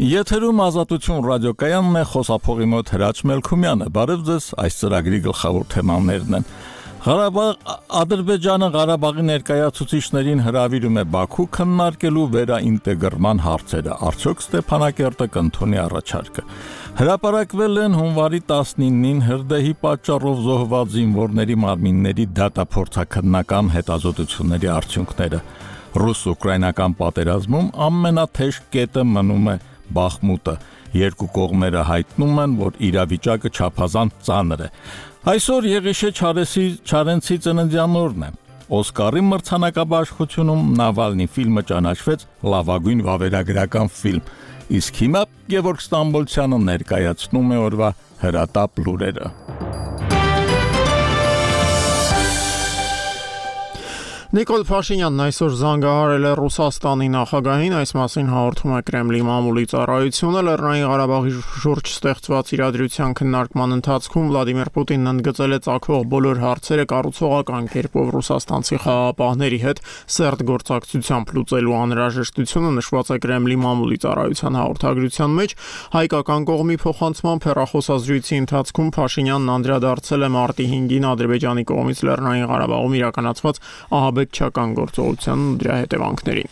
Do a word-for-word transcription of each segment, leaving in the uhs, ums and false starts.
Եթերում ազատություն ռադիոկայանն է, խոսափողի մոտ Հրաչ Մելքումյանը, բարև ձեզ, այս ծրագրի գլխավոր թեմաներն են։ Ղարաբաղ Ադրբեջանը Ղարաբաղի ներկայացուցիչներին հրավիրում է Բաքու քննարկելու վերաինտեգրման հարցերը, արդյոք Ստեփանակերտը կընդունի առաջարկը։ Հրապարակվել են հունվարի տասնինին հրդեհի պատճառով զոհված զինվորների մարմինների դատափորձաքննական հետազոտությունների արդյունքները։ Ռուս-ուկրաինական պատերազմում ամենաթեժ կետը մնում է Բախմուտը, երկու կողմերը հայտնում են, որ իրավիճակը չափազանց ծանր է։ Այսօր Եղիշե Չարենցի ծննդյան օրն է։ Օսկարի մրցանակաբաշխությունում Նավալնի ֆիլմը ճանաչվեց լավագույն վավերագրական ֆիլմ, իսկ հիմա Գևորգ Ստամբոլցյանը ներկայացնում է օրվա հրատապ լուրերը։ Նիկոլ Փաշինյանն այսօր զանգահարել է Ռուսաստանի նախագահին, այս մասին հաղորդում է Կրեմլի մամուլի ծառայությունը։ Լեռնային Ղարաբաղի շուրջ ստեղծված իրադրության քննարկման ընթացքում Վլադիմիր Պուտինն ընդգծել է ծագող բոլոր հարցերը կառուցողական կերպով ռուսաստանցի խաղաղապահների հետ սերտ գործակցությամբ լուծելու անհրաժեշտությունը նշված է Կրեմլի մամուլի ծառայության հաղորդագրության մեջ։ Հայկական կողմի փոխանցմամբ հեռախոսազրույցի ընթացքում Փաշինյանն անդրադարձել է մարտի հինգին Ադրբեջանի կողմից Լեռնային Ղարաբաղում իրականացված ահաբեկչական գործողության ու դրա հետևանքներին։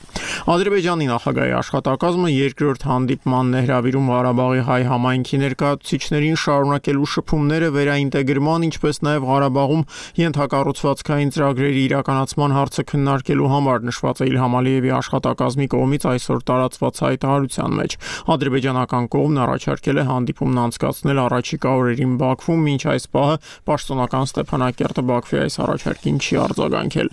Ադրբեջանի նախագահի աշխատակազմը երկրորդ հանդիպմանն է հրավիրում Ղարաբաղի հայ համայնքի ներկայացուցիչներին շարունակելու շփումները վերաինտեգրման, ինչպես նաև Ղարաբաղում ենթակառուցվածքային ծրագրերի իրականացման հարցը քննարկելու համար, նշված է Իլհամ Ալիևի աշխատակազմի կողմից այսօր տարածված հայտարարության մեջ։ Ադրբեջանական կողմն առաջարկել է հանդիպումն անցկացնել առաջիկա օրերին Բաքվում, մինչ այս պահը պաշտոնական Ստեփանակերտը Բաքվի այս առաջարկին չի արձագանքել։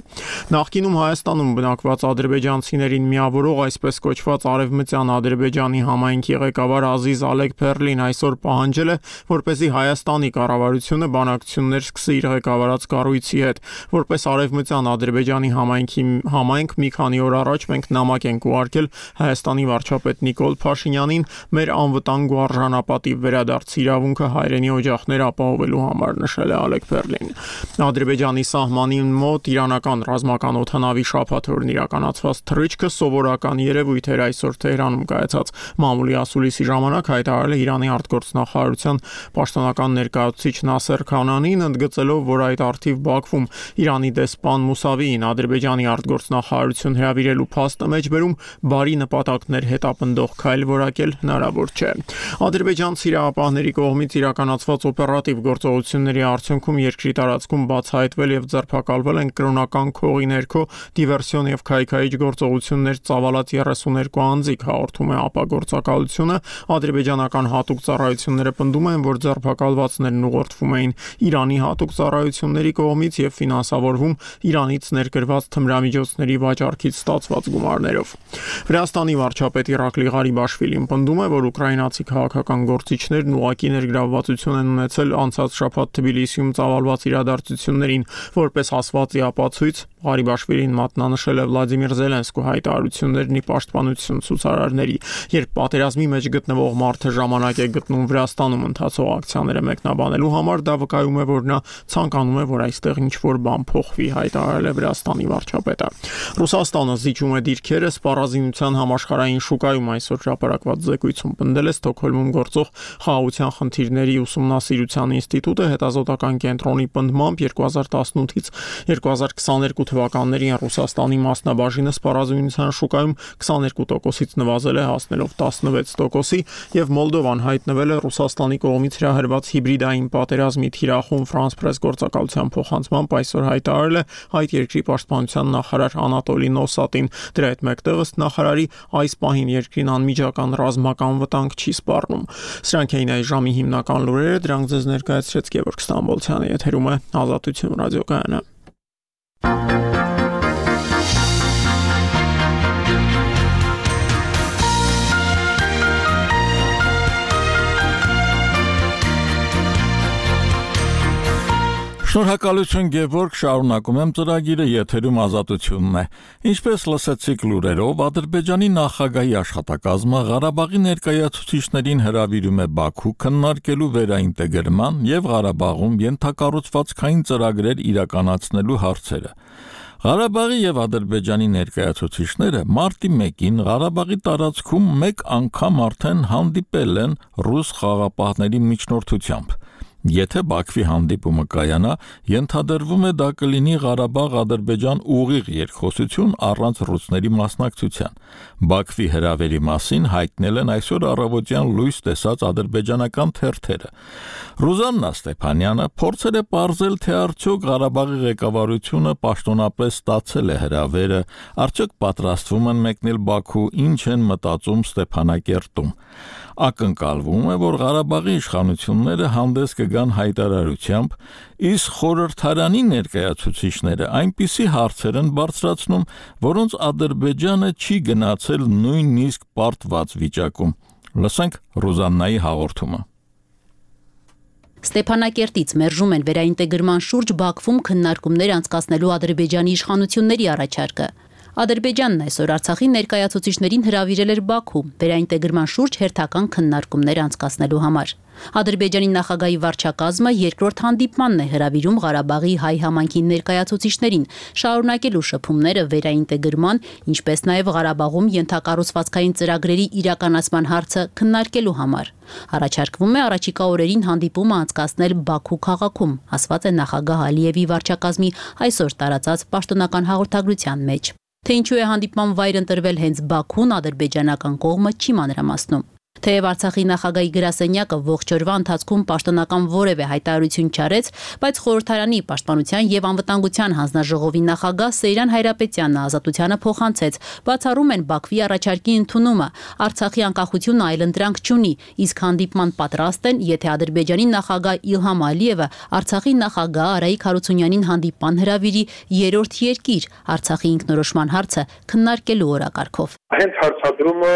Նախկինում Հայաստանում բնակված ադրբեջանցիներին միավորող այսպես կոչված Արևմտյան Ադրբեջանի համայնքի ղեկավար Ազիզ Ալեքփերլին այսօր պահանջել է, որպեսզի Հայաստանի կառավարությունը բանակցություններ սկսի իր ղեկավարած կառույցի հետ։ Որպես Արևմտյան Ադրբեջանի համայնքի համայնք մի քանի օր առաջ մենք նամակ ենք ուղարկել Հայաստանի վարչապետ Նիկոլ Փաշինյանին մեր անվտանգ ու արժանապատիվ վերադարձի իրավունքը հայրենի օջախներ ապահովելու համար, նշել է Ալեքփերլին։ Ադրբեջանի սահմանին մոտ իրանական ռազմական օդանավի շաբաթօրն իրականացված թռիչքը սովորական երևույթ էր, այսօր Թեհրանում կայացած մամուլի ասուլիսի ժամանակ հայտարարել է Իրանի արտգործնախարարության պաշտոնական ներկայացուցիչ Նասեր Քանանին, ընդգծելով, որ այդ առթիվ Բաքվում Իրանի դեսպան Մուսավիին Ադրբեջանի արտգործնախարարություն հրավիրելու փաստը մեջբերում բարի նպատակներ հետապնդող քայլ որակել հնարավոր չէ։ Ադրբեջանցի իրավապահների կողմից իրականացված օպերատիվ գործողությունների արդյունքում երկրի տարածքում բացահայտվել եւ ձերբակալվել են կրոնական քողի ներքո դիվերսիոն եւ քայքայիչ գործողություններ ծավալած երեսուներկու անձիկ, հաղորդում է ԱՊԱ գործակալությունը։ Ադրբեջանական հատուկ ծառայությունները պնդում են, որ ձերբակալվածներն ուղղորդվում էին Իրանի հատուկ ծառայությունների կողմից եւ ֆինանսավորվում Իրանից ներկրված թմրամիջոցների վաճառքից ստացված գումարներով։ Վրաստանի վարչապետ Իրակլի Ղարիբաշվիլին պնդում է, որ ուկրաինացի քաղաքական գործիչներն ուղղակի ներգրավվածություն են ունեցել անցած շաբաթ Թբիլիսիում ծավալված իրադարձություններին, որպես ասված ի ապացույց Ղարիբաշվիլին մատնանշել է Վլադիմիր Զելենսկու հայտարարություններն ի պաշտպանություն ցուցարարների, երբ պատերազմի մեջ գտնվող մարդը ժամանակ է գտնում Վրաստանում ընթացող ակցիաները մեկնաբանելու համար, դա վկայում է, որ նա ցանկանում է, որ այստեղ ինչ-որ բան փոխվի, հայտարարել է Վրաստանի վարչապետը։ Ռուսաստանը զիջում է դիրքերը սպառազինության համաշխարհային շուկայում, այսօր հրապարակված զեկույցում պնդել է Ստոկհոլմում գործող խաղաղության խնդիրների ուսումնասիրության ինստիտուտը հետազոտական կենտրոնի պնդմամբ երկու հազար տասնութից երկու հազար քսաներկու թվականներին Ռուսաստանի մասնաբաժինը սպառազինության շուկայում քսաներկու տոկոսից նվազել է, հասնելով տասնվեց տոկոսի, եւ Մոլդովան հայտնվել է Ռուսաստանի կողմից հրահրված հիբրիդային պատերազմի թիրախում France Press գործակալության փոխանցմամբ այսօր հայտարարել է այդ երկրի պաշտպանության նախարար Անատոլի Նոսատին։ Դրա հետ մեկտեղ ըստ նախարարի այս պահին երկրին անմիջական ռազմական վտանգ չի սպառնում։ Սրանք էին այս ժամի հիմնական լուրերը, դրանք ձեզ ներկայացրեց Գևորգ Ստամբոլցյանը, եթերում է Ազատություն ռադիոկայանը։ Շնորհակալություն Գևորգ, շարունակում եմ ծրագիրը, եթերում Ազատությունն է։ Ինչպես լսեցիք լուրերով, Ադրբեջանի նախագահի աշխատակազմը Ղարաբաղի ներկայացուցիչներին հրավիրում է Բաքու քննարկելու վերաինտեգրման եւ Ղարաբաղում ենթակառուցվածքային ծրագրեր իրականացնելու հարցերը։ Ղարաբաղի եւ Ադրբեջանի ներկայացուցիչները մարտի մեկին Ղարաբաղի տարածքում մեկ անգամ արդեն հանդիպել են ռուս խաղաղապահների միջնորդությամբ։ Եթե Բաքվի հանդիպումը կայանա, ենթադրվում է դա կլինի Ղարաբաղ-Ադրբեջան ուղիղ երկխոսություն առանց ռուսների մասնակցության։ Բաքվի հրավերի մասին հայտնել են այսօր առավոտյան լույս տեսած ադրբեջանական թերթերը։ Ռուզաննա Ստեփանյանը փորձել է պարզել, թե արդյոք Ղարաբաղի ղեկավարությունը պաշտոնապես ստացել է հրավերը, արդյոք պատրաստվում են մեկնել Բաքու, ինչ են մտածում Ստեփանակերտում։ Ակնկալվում է, որ Ղարաբաղի իշխանությունները հանդես կգան հայտարարությամբ, իսկ խորհրդարանի ներկայացուցիչները այնպիսի հարցեր են բարձրացնում, որոնց Ադրբեջանը չի գնացել նույնիսկ պարտված վիճակում։ Լսենք Ռուզաննայի հաղորդումը։ Ստեփանակերտից մերժում են վերաինտեգրման շուրջ Բաքվում քննարկումներ անցկացնելու Ադրբեջանի իշխանությունների առաջարկը։ Ադրբեջանն այսօր Արցախի ներկայացուցիչներին հրավիրել էր Բաքու վերաինտեգրման շուրջ հերթական քննարկումներ անցկացնելու համար։ Ադրբեջանի նախագահի վարչակազմը երկրորդ հանդիպմանն է հրավիրում Ղարաբաղի հայ համայնքի ներկայացուցիչներին, շարունակելու շփումները վերաինտեգրման, ինչպես նաև Ղարաբաղում ենթակառուցվածքային ծրագրերի իրականացման հարցը քննարկելու համար։ Առաջարկվում է առաջիկա օրերին հանդիպումը անցկացնել Բաքու քաղաքում, ասված է նախագահ Ալիևի վարչակազմի այսօր տարածած պաշտոնական հաղորդագրության մեջ։ Թե ինչու է հանդիպման վայր ընտրվել հենց Բաքուն, ադրբեջանական կողմը չի մանրամասնում։ Թեև Արցախի նախագահի գրասենյակը ողջ օրվա ընթացքում պաշտոնական որևէ հայտարարություն չարեց, բայց խորհրդարանի պաշտպանության եւ անվտանգության հանձնաժողովի նախագահ Սեյրան Հայրապետյանը ազատությանը փոխանցեց, բացառում են Բաքվի առաջարկի ընդունումը, Արցախի անկախությունը այլընտրանք չունի, իսկ հանդիպման պատրաստ են, եթե Ադրբեջանի նախագահ Իլհամ Ալիևը Արցախի նախագահ Արայիկ Հարությունյանին հանդիպման հրավիրի երրորդ երկիր Արցախի ինքնորոշման հարցը քննարկելու օրակարգով։ Հենց հարցադրումը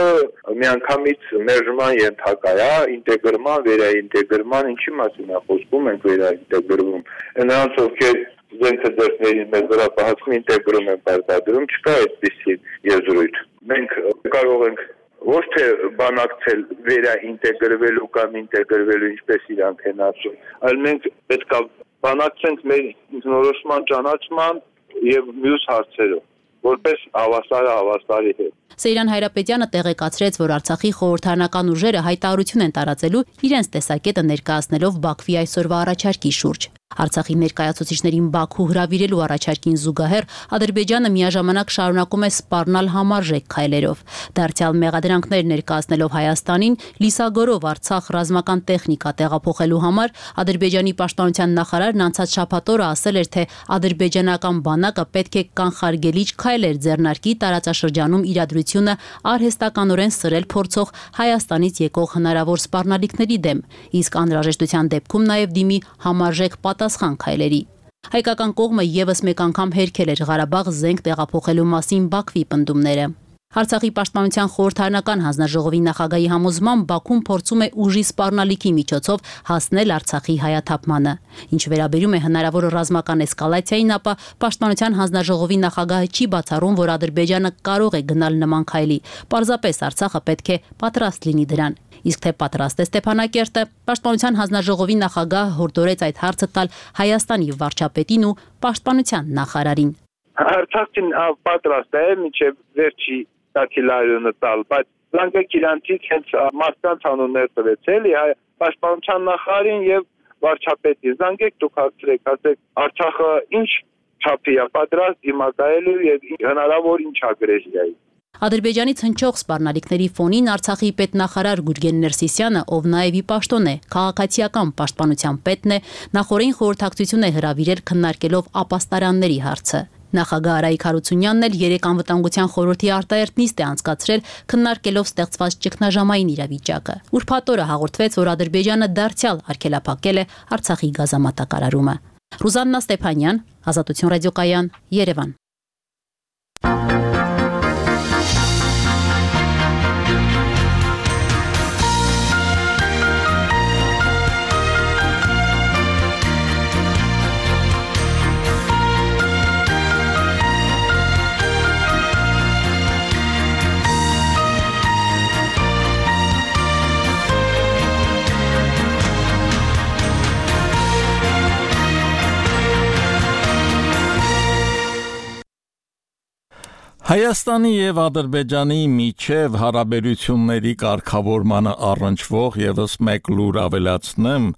միանգամից մերժման ենթակա է, ինտեգրման, վերաինտեգրման, ինչի մասին է խոսքում, ենք վերաինտեգրվում։ Նրանց ովքեր զենքը ձեռքներին մեզ վրա պահածում ինտեգրում են պարտադրում, չկա այդպիսի եզրույթ։ Մենք կարող ենք ոչ թե բանակցել վերաինտեգրվելու կամ ինտեգրվելու, ինչպես իրանք են ասում, այլ մենք պետք է բանակցենք մեր ինքնորոշման ճանաչման եւ մյուս հարցերով, որպես հավասարը հավասարի հետ։ Սեյրան Հայրապետյանը տեղեկացրեց, որ Արցախի խորհրդարանական ուժերը հայտարարություն են տարածելու իրենց տեսակետը ներկայացնելով Բաքվի այսօրվա առաջարկի շուրջ։ Արցախի ներկայացուցիչներին Բաքու հրավիրելու առաջարկին զուգահեռ Ադրբեջանը միաժամանակ շարունակում է սպառնալ համարժեք քայլերով։ Դարձյալ մեղադրանքներ ներկայացնելով Հայաստանին, լիսագորով Արցախ ռազմական տեխնիկա տեղափոխելու համար Ադրբեջանի պաշտպանության նախարարն անցած շաբաթ օրը ասել էր, թե ադրբեջանական բանակը պետք է կանխարգելիչ քայլեր ձեռնարկի տարածաշրջանում իրադրությունը արհեստականորեն սրել փորձող Հայաստանից եկող հնարավոր սպառնալիքների դեմ, իսկ անհրաժեշտության դեպքում նաև դիմի համարժեք պատասխան քայլերի։ Հայկական կողմը եւս մեկ անգամ հերքել էր Ղարաբաղ զենք տեղափոխելու մասին Բաքվի պնդումները։ Արցախի պաշտպանության խորհրդարանական հանձնաժողովի նախագահի համոզմամբ Բաքուն փորձում է ուժի սպառնալիքի միջոցով հասնել Արցախի հայաթափմանը։ Ինչ վերաբերում է հնարավոր ռազմական էսկալացիային, ապա պաշտպանության հանձնաժողովի նախագահը չի բացառում, որ Ադրբեջանը կարող է գնալ նման քայլի։ Պարզապես Արցախը պետք է պատրաստ լինի դրան։ Իսկ թե պատրաստ է Ստեփանակերտը, պաշտպանության հանձնաժողովի նախագահը հորդորեց այդ հարցը տալ Հայաստանի վարչապետին ու պաշտպանության նախարարին։ Արցախին պատրաստ է մինչև վերջի տակիլարյունը տալ, բայց լանկակ իրանցից հենց մարդկանց անուններ տվեց էլի պաշտպանության նախարարին եւ վարչապետին։ Զանգեք դուք հարցրեք, ասեք Արցախը ինչ չափի է պատրաստ դիմակայելու եւ հնարավոր ինչ ագրեսիայի։ Ադրբեջանից հնչող սպառնալիքների ֆոնին Արցախի պետնախարար Գուրգեն Ներսիսյանը, ով նաև ի պաշտոն է, քաղաքացիական պաշտպանության պետն է, նախորդին խորհրդակցություն է հրավիրել քննարկելով ապաստարանների հարցը։ Նախագահ Արայիկ Հարությունյանն էլ երեք անվտանգության խորհրդի արտահերտ նիստ է անցկացրել քննարկելով ստեղծված ճգնաժամային իրավիճակը։ Ուրբաթ օրը հաղորդվեց, որ Ադրբեջանը դարձյալ արգելափակել է Արցախի գազամատակարարումը։ Ռուզաննա Ստեփանյան, Ազատություն ռադիոկայան, Երևան։ Հայաստանի եւ Ադրբեջանի միջև հարաբերությունների կարգավորմանը առնչվող եւս մեկ լուր ավելացնեմ,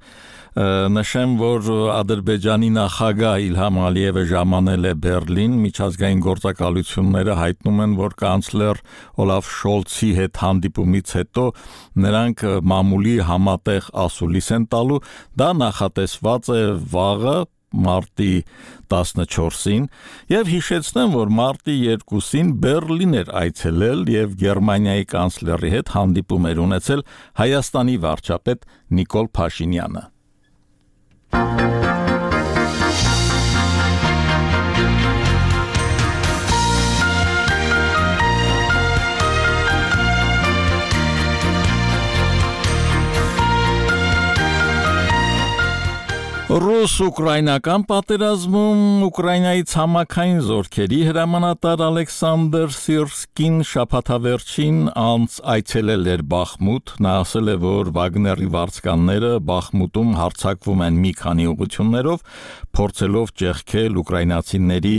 նշեմ, որ Ադրբեջանի նախագահ Իլհամ Ալիևը ժամանել է Բերլին, միջազգային գործակալությունները հայտնում են, որ կանցլեր Օլաֆ Շոլցի հետ հանդիպումից հետո նրանք մամուլի համատեղ ասուլիս են տալու, դա նախատեսված է վաղը մարտի տասնչորսին եւ հիշեցնեմ, որ մարտի երկուսին Բերլին էր այցելել եւ Գերմանիայի կանցլերի հետ հանդիպում էր ունեցել Հայաստանի վարչապետ Նիկոլ Փաշինյանը։ Ռուս-ուկրաինական պատերազմում Ուկրաինայի ցամաքային զորքերի հրամանատար Ալեքսանդր Սիրսկին շաբաթավերջին անց այցելել էր Բախմուտ, նա ասել է, որ Վագների վարձկանները Բախմուտում հարձակվում են մի քանի ուղղություններով, փորձելով ճեղքել ուկրաինացիների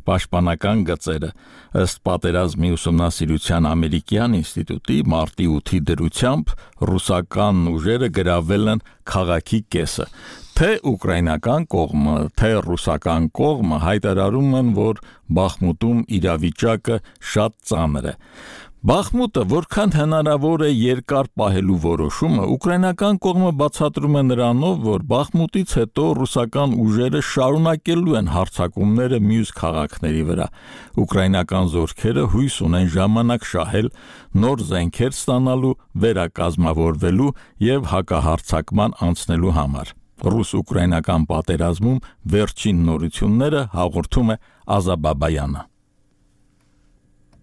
պաշտպանական գծերը։ Ըստ պատերազմի ուսումնասիրության ամերիկյան ինստիտուտի մարտի ութի դրությամբ ռուսական ուժերը գրավել են քաղաքի կեսը։ Թե ուկրաինական կողմը, թե ռուսական կողմը հայտարարում են, որ Բախմուտում իրավիճակը շատ ծանր է։ Բախմուտը որքան հնարավոր է երկար պահելու որոշումը, ուկրաինական կողմը բացատրում է նրանով, որ Բախմուտից հետո ռուսական ուժերը շարունակելու են հարձակումները մյուս քաղաքների վրա։ Ուկրաինական զորքերը հույս ունեն ժամանակ շահել, նոր զենքեր ստանալու, վերակազմավորվելու եւ հակահարձակման անցնելու համար։ Ռուս-ուկրաինական պատերազմում վերջին նորությունները հաղորդում է Ազաբաբայանը։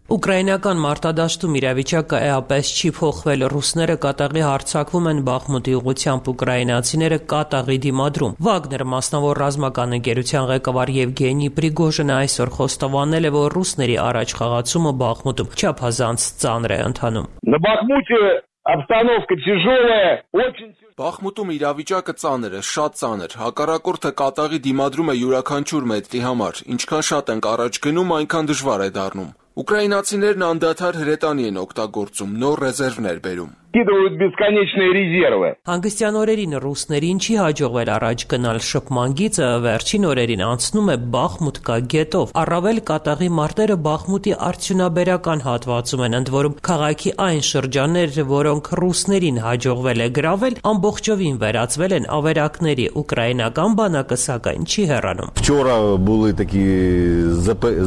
Ուկրաինական մարտադաշտում իրավիճակը էապես չի փոխվել, ռուսները կատաղի հարձակվում են Բախմուտի ուղղությամբ, ուկրաինացիները կատաղի դիմադրում։ Վագներ մասնավոր ռազմական ընկերության ղեկավար Եվգենի Պրիգոժինը այսօր խոստովանել է, որ ռուսների առաջ խաղացումը Բախմուտում չափազանց ծանր է ընթանում։ На Бахмуте обстановка тяжелая, очень Բախմուտում իրավիճակը ծանր է, շատ ծանր, հակառակորդը կատաղի դիմադրում է յուրաքանչյուր մետրի համար, ինչքան շատ ենք առաջ գնում, այնքան դժվար է դառնում։ Ուկրաինացիներն անդադար հրետանի են օգտագործում, նոր ռեզերվներ բերում։ скидывают бесконечные резервы. Հանգստյան օրերին ռուսներին չի հաջողվել առաջ գնալ շփման գիծը, վերջին օրերին անցնում է Բախմուտ կա գետով։ Առավել կատաղի մարտերը Բախմուտի արդյունաբերական հատվածում են, ընդ որում քաղաքի այն շրջաններ, որոնք ռուսներին հաջողվել է գրավել, ամբողջովին վերածվել են ավերակների, ուկրաինական բանակը սակայն չի հեռանում։ Вчора були такі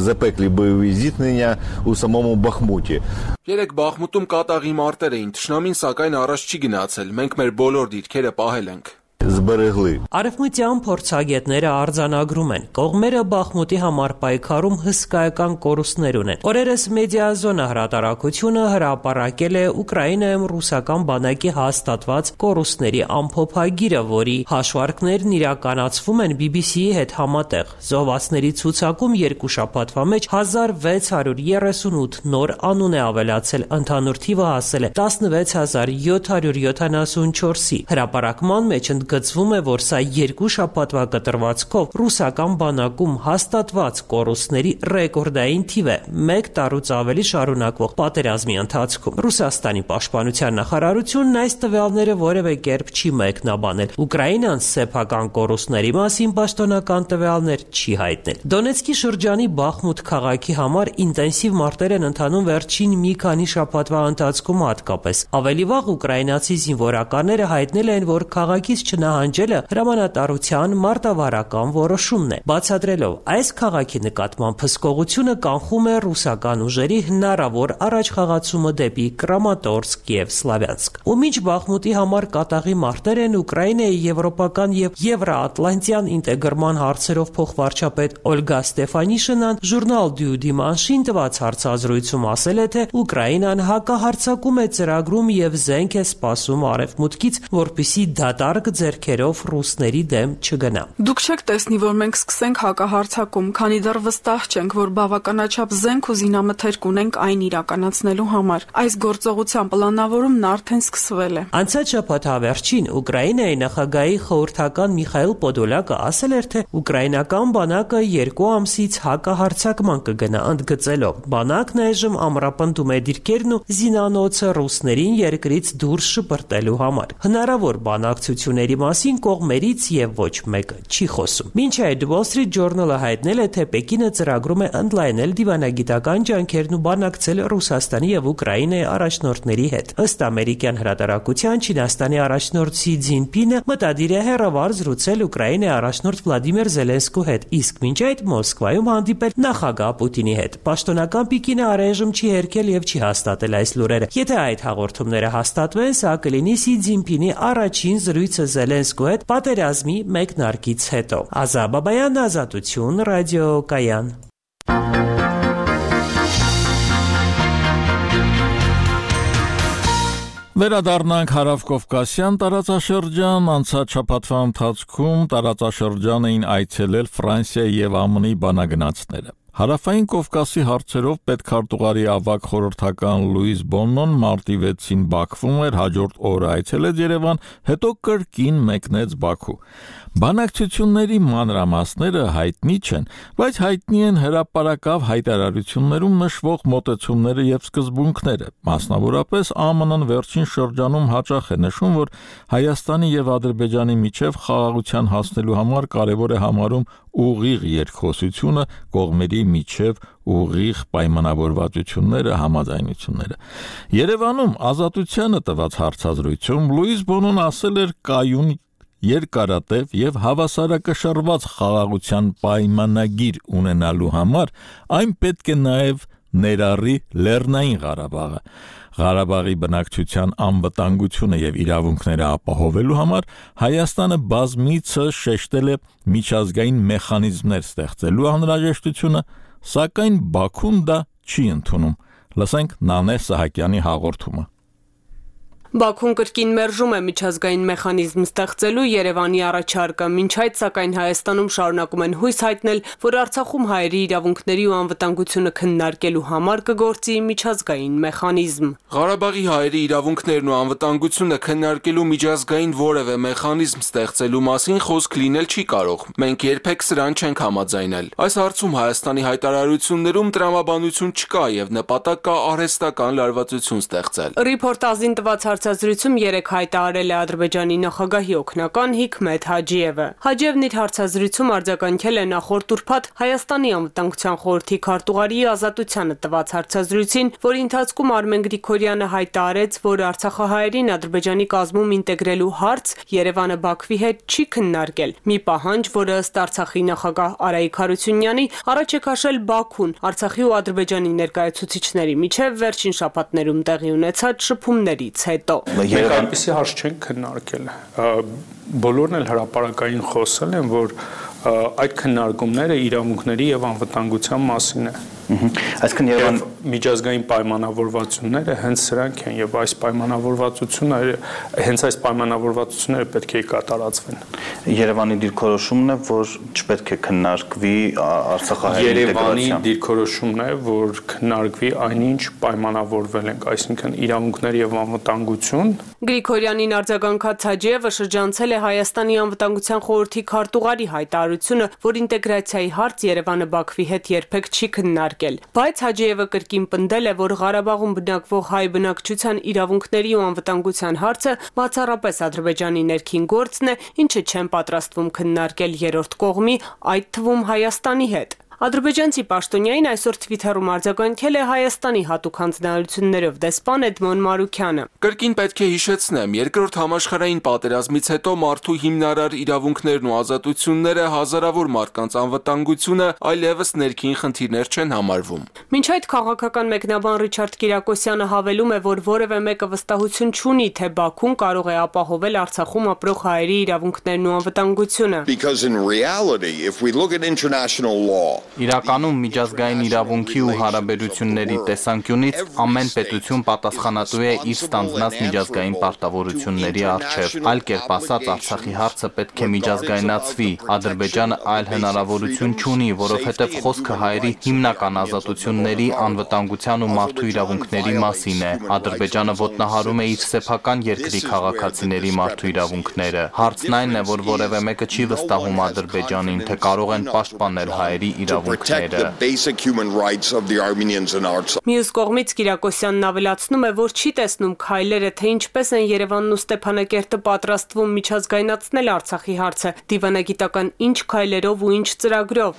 запеклі бойові зіткнення у самому Бахмуті. Երեք Բախմուտում կատաղի մարտեր էին, թշնամին սակայն առաջ չի գնացել, մենք մեր բոլոր դիրքերը պահել ենք։ Зберегли. Արևմտյան փորձագետները արձանագրում են, կողմերը Բախմուտի համար պայքարում հսկայական կորուստներ ունեն։ Օրերս Մեդիազոնա հրատարակությունը հրապարակել է Ուկրաինայում ռուսական բանակի հաստատված կորուստների ամփոփագիրը, որի հաշվարկներն իրականացվում են բի բի սի-ի հետ համատեղ։ Զոհվածների ցուցակում երկու շաբաթվա մեջ հազար վեց հարյուր երեսունութ նոր անուն է ավելացել, ընդհանուր թիվը հասել է տասնվեց հազար յոթ հարյուր յոթանասունչորսի։ Հրապարակման մեջ գծվում է, որ սա երկու շաբաթվա կտրվածքով ռուսական բանակում հաստատված կորուստների ռեկորդային թիվ է մեկ տարուց ավելի շարունակվող պատերազմի ընթացքում։ Ռուսաստանի պաշտպանության նախարարությունն այս տվյալները որևէ կերպ չի մեկնաբանել։ Ուկրաինան սեփական կորուստների մասին պաշտոնական տվյալներ չի հայտնել։ Դոնեցկի շրջանի Բախմուտ քաղաքի համար ինտենսիվ մարտեր են ընթանում վերջին մի քանի շաբաթվա ընթացքում հատկապես։ Ավելի վաղ ուկրաինացի զինվորականները հայտնել են, որ քաղաքից նահանջելը հրամանատարության մարտավարական որոշումն է, բացատրելով այս քաղաքի նկատմամբ հսկողությունը կանխում է ռուսական ուժերի հնարավոր առաջխաղացումը դեպի Կրամատորսկ եւ Սլավյանսկ։ Ու մինչ Բախմուտի համար կատաղի մարտեր են, Ուկրաինայի եվրոպական եւ եվրոատլանտյան ինտեգրման հարցերով փոխվարչապետ Օլգա Ստեֆանիշինան ժուրնալ Դյու Դիմանշին տված հարցազրույցում ասել է, թե Ուկրաինան հակահարձակում է ծրագրում եւ զենք է սպասում արևմուտքից, որպիսի դատարկ ձեռքերով ռուսների դեմ չգնա։ Դուք չեք տեսնի, որ մենք սկսենք հակահարձակում, քանի դեռ վստահ չենք, որ բավականաչափ զենք ու զինամթերք ունենք այն իրականացնելու համար։ Այս գործողության պլանավորումն արդեն սկսվել է։ Անցած շաբաթ հավերժին Ուկրաինայի նախագահի խորհրդական Միխայիլ Պոդոլակը ասել էր, թե ուկրաինական բանակը երկու ամսից հակահարձակման կգնա, ընդգծելով. բանակն այժմ ամրապնդում է դիրքերն ու զինանոցը ռուսներին երկրից դուրս շպրտելու համար։ Հնարավոր բանակցությունների մասին կողմերից եւ ոչ մեկը չի խոսում։ Մինչ այդ Wall Street Journal-ը հայտնել է, թե Պեկինը ծրագրում է ընդլայնել դիվանագիտական ջանքերն ու բանակցել Ռուսաստանի եւ Ուկրաինայի առաջնորդների հետ։ Ըստ ամերիկյան հրատարակության Չինաստանի առաջնորդ Սի Ցզինպինը մտադիր է հեռավար զրուցել Ուկրաինայի առաջնորդ Վլադիմիր Զելենսկու հետ, իսկ մինչ այդ Մոսկվայում հանդիպել նախագահ Պուտինի հետ։ Պաշտոնական Պեկինը առայժմ չի հերքել եւ չի հաստատել այս լուրերը։ Եթե այդ հաղորդումները հաստատվեն, սա կլինի Սի Ցզինպինի առաջին զրույցը Զելենսկու հետ պատերազմի մեկնարկից հետո։ Ազա Բաբայան, Ազատություն, Ռադիոկայան։ Վերադառնանք Հարավկովկասյան տարածաշրջան, անցած շաբաթվա ընթացքում տարածաշրջան էին այցելել Ֆրանսիայի եւ ΑՄՆ-ի բանագնացները։ Հարավային Կովկասի հարցերով պետքարտուղարի ավագ խորհրդական Լուիս Բոննոն մարտի վեցին Բաքվում էր, հաջորդ օրը այցելեց Երևան, հետո կրկին մեկնեց Բաքու։ Բանակցությունների մանրամասները հայտնի չեն, բայց հայտնի են հրապարակավ հայտարարություններում նշվող մոտեցումները եւ սկզբունքները։ Մասնավորապես Ა Մ Ն-ն վերջին շրջանում հաճախ է նշում, որ Հայաստանի եւ Ադրբեջանի միջև խաղաղության հասնելու համար կարեւոր է համարում ուղիղ երկխոսությունը, կողմերի միջև ուղիղ պայմանավորվածությունները, համաձայնությունները։ Երևանում Ազատությանը տված հարցազրույցում Լուիս Բոնոն ասել էր կայուն երկարատև եւ հավասարակշռված խաղաղության պայմանագիր ունենալու համար այն պետք է նաեւ ներառի Լեռնային Ղարաբաղը։ Ղարաբաղի բնակչության անվտանգությունը եւ իրավունքները ապահովելու համար Հայաստանը բազմիցս շեշտել է միջազգային մեխանիզմներ ստեղծելու անհրաժեշտությունը, սակայն Բաքուն դա չի ընդունում։ Լսենք Նանե Սահակյանի հաղորդումը։ Բաքուն կրկին մերժում է միջազգային մեխանիզմ ստեղծելու Երևանի առաջարկը, մինչ այդ սակայն Հայաստանում շարունակում են հույս հայտնել, որ Արցախում հայերի իրավունքների ու անվտանգությունը քննարկելու համար կգործի միջազգային մեխանիզմ։ Ղարաբաղի հայերի իրավունքներն ու անվտանգությունը քննարկելու միջազգային որևէ մեխանիզմ ստեղծելու մասին խոսք լինել չի կարող։ Մենք երբեք սրան չենք համաձայնել։ Այս հարցում Հայաստանի հայտարարություններում տրամաբանություն չկա եւ նպատակ կա արհեստական լարվածություն ստեղծել։ Ռիփորտաժին տված հարցազրույցում երեք հայտարարել է Ադրբեջանի նախագահի օգնական Հիքմեթ Հաջիևը։ Հաջիևն իր հարցազրույցում արձագանքել է նախորդ ուրբաթ Հայաստանի անվտանգության խորհրդի քարտուղարի Ազատությանը տված հարցազրույցին, որի ընթացքում Արմեն Գրիգորյանը հայտարարեց, որ արցախահայերին Ադրբեջանի կազմում ինտեգրելու հարց Երևանը Բաքվի հետ չի քննարկել։ Մի պահանջ, որը ըստ Արցախի նախագահ Արայիկ Հարությունյանի առաջ է քաշել Բաքուն Արցախի ու Ադրբեջանի ներկայացուցիչների միջև վերջին շաբաթներում տեղի ունեցած շփումներից հետո։ Մենք այնպիսի հարց չենք քննարկել։ Բոլորն էլ հրապարակային խոսել են, որ այդ քննարկումները իրավունքների եւ անվտանգության մասին է։ Այսինքն Երևան միջազգային պայմանավորվածությունները հենց սրանք են եւ այս պայմանավորվածությունները հենց այս պայմանավորվածությունները պետք է կատարածվեն։ Երևանի դիրքորոշումն է, որ չպետք է քննարկվի Արցախահայերի Երևանի դիրքորոշումն է, որ քննարկվի այնինչ պայմանավորվել ենք, այսինքն իրավունքներ եւ անվտանգություն։ Գրիգորյանին արձագանքած Հաջիևը շրջանցել է Հայաստանի անվտանգության խորհրդի քարտուղարի հայտարարությունը, որ ինտեգրացիայի հարց Երևանը Բաքվի հետ երբեք չի քննարկել։ Բայց Հաջիևը կրկին պնդել է, որ Ղարաբաղում բնակվող հայ բնակչության իրավունքների ու անվտանգության հարցը բացառապես Ադրբեջանի ներքին գործն է, ինչը չեն պատրաստվում քննարկել երրորդ կողմի, այդ թվում Հայաստանի հետ։ Ադրբեջանցի պաշտոնյային այսօր Twitter-ում արձագանքել է Հայաստանի հատուկ հանձնարարություններով դեսպան Էդմոն Մարուքյանը։ Կրկին պետք է հիշեցնեմ, երկրորդ համաշխարհային պատերազմից հետո մարդու հիմնարար իրավունքներն ու ազատությունները, հազարավոր մարդկանց անվտանգությունը այլևս ներքին խնդիրներ չեն համարվում։ Մինչ այդ քաղաքական մեկնաբան Ռիչարդ Կիրակոսյանը հավելում է, որ որևէ մեկը վստահություն չունի, թե Բաքուն կարող է ապահովել Արցախում ապրող հայերի իրավունքներն ու անվտանգությունը։ Because in reality, if we look at international law, Իրականում միջազգային իրավունքի ու հարաբերությունների տեսանկյունից ամեն պետություն պատասխանատու է իր ստանձնած միջազգային պարտավորությունների առջև։ Այլ կերպ ասած, Արցախի հարցը պետք է միջազգայնացվի։ Ադրբեջանը այլ հնարավորություն չունի, որովհետև խոսքը հայերի հիմնական ազատությունների, անվտանգության ու մարդու իրավունքների մասին է։ Ադրբեջանը ոտնահարում է իր սեփական երկրի քաղաքացիների մարդու իրավունքները։ Հարցն այն է, որ որևէ մեկը չի վստահում Ադրբեջանին, թե կարող են պաշտպանել հայերի իրավունքները։ Մյուս կողմից Կիրակոսյանն ավելացնում է, որ չի տեսնում քայլերը, թե ինչպես են Երևանն ու Ստեփանակերտը պատրաստվում միջազգայնացնել Արցախի հարցը, դիվանագիտական ինչ քայլերով ու ինչ ծրագրով։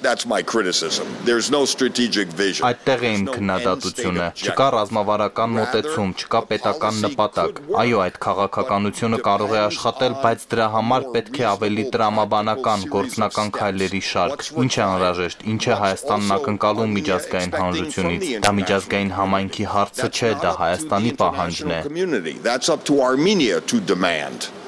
Այդտեղ է իմ քննադատությունը։ Չկա ռազմավարական մոտեցում, չկա պետական նպատակ։ Այո, այդ քաղաքականությունը կարող է աշխատել, բայց դրա համար պետք է ավելի տրամաբանական, գործնական քայլերի շարք։ Ինչ է անհրաժեշտ, ինչ է Հայաստանն ակնկալում միջազգային հանրությունից։ Դա միջազգային համայնքի հարցը չէ, դա Հայաստանի պահանջն է։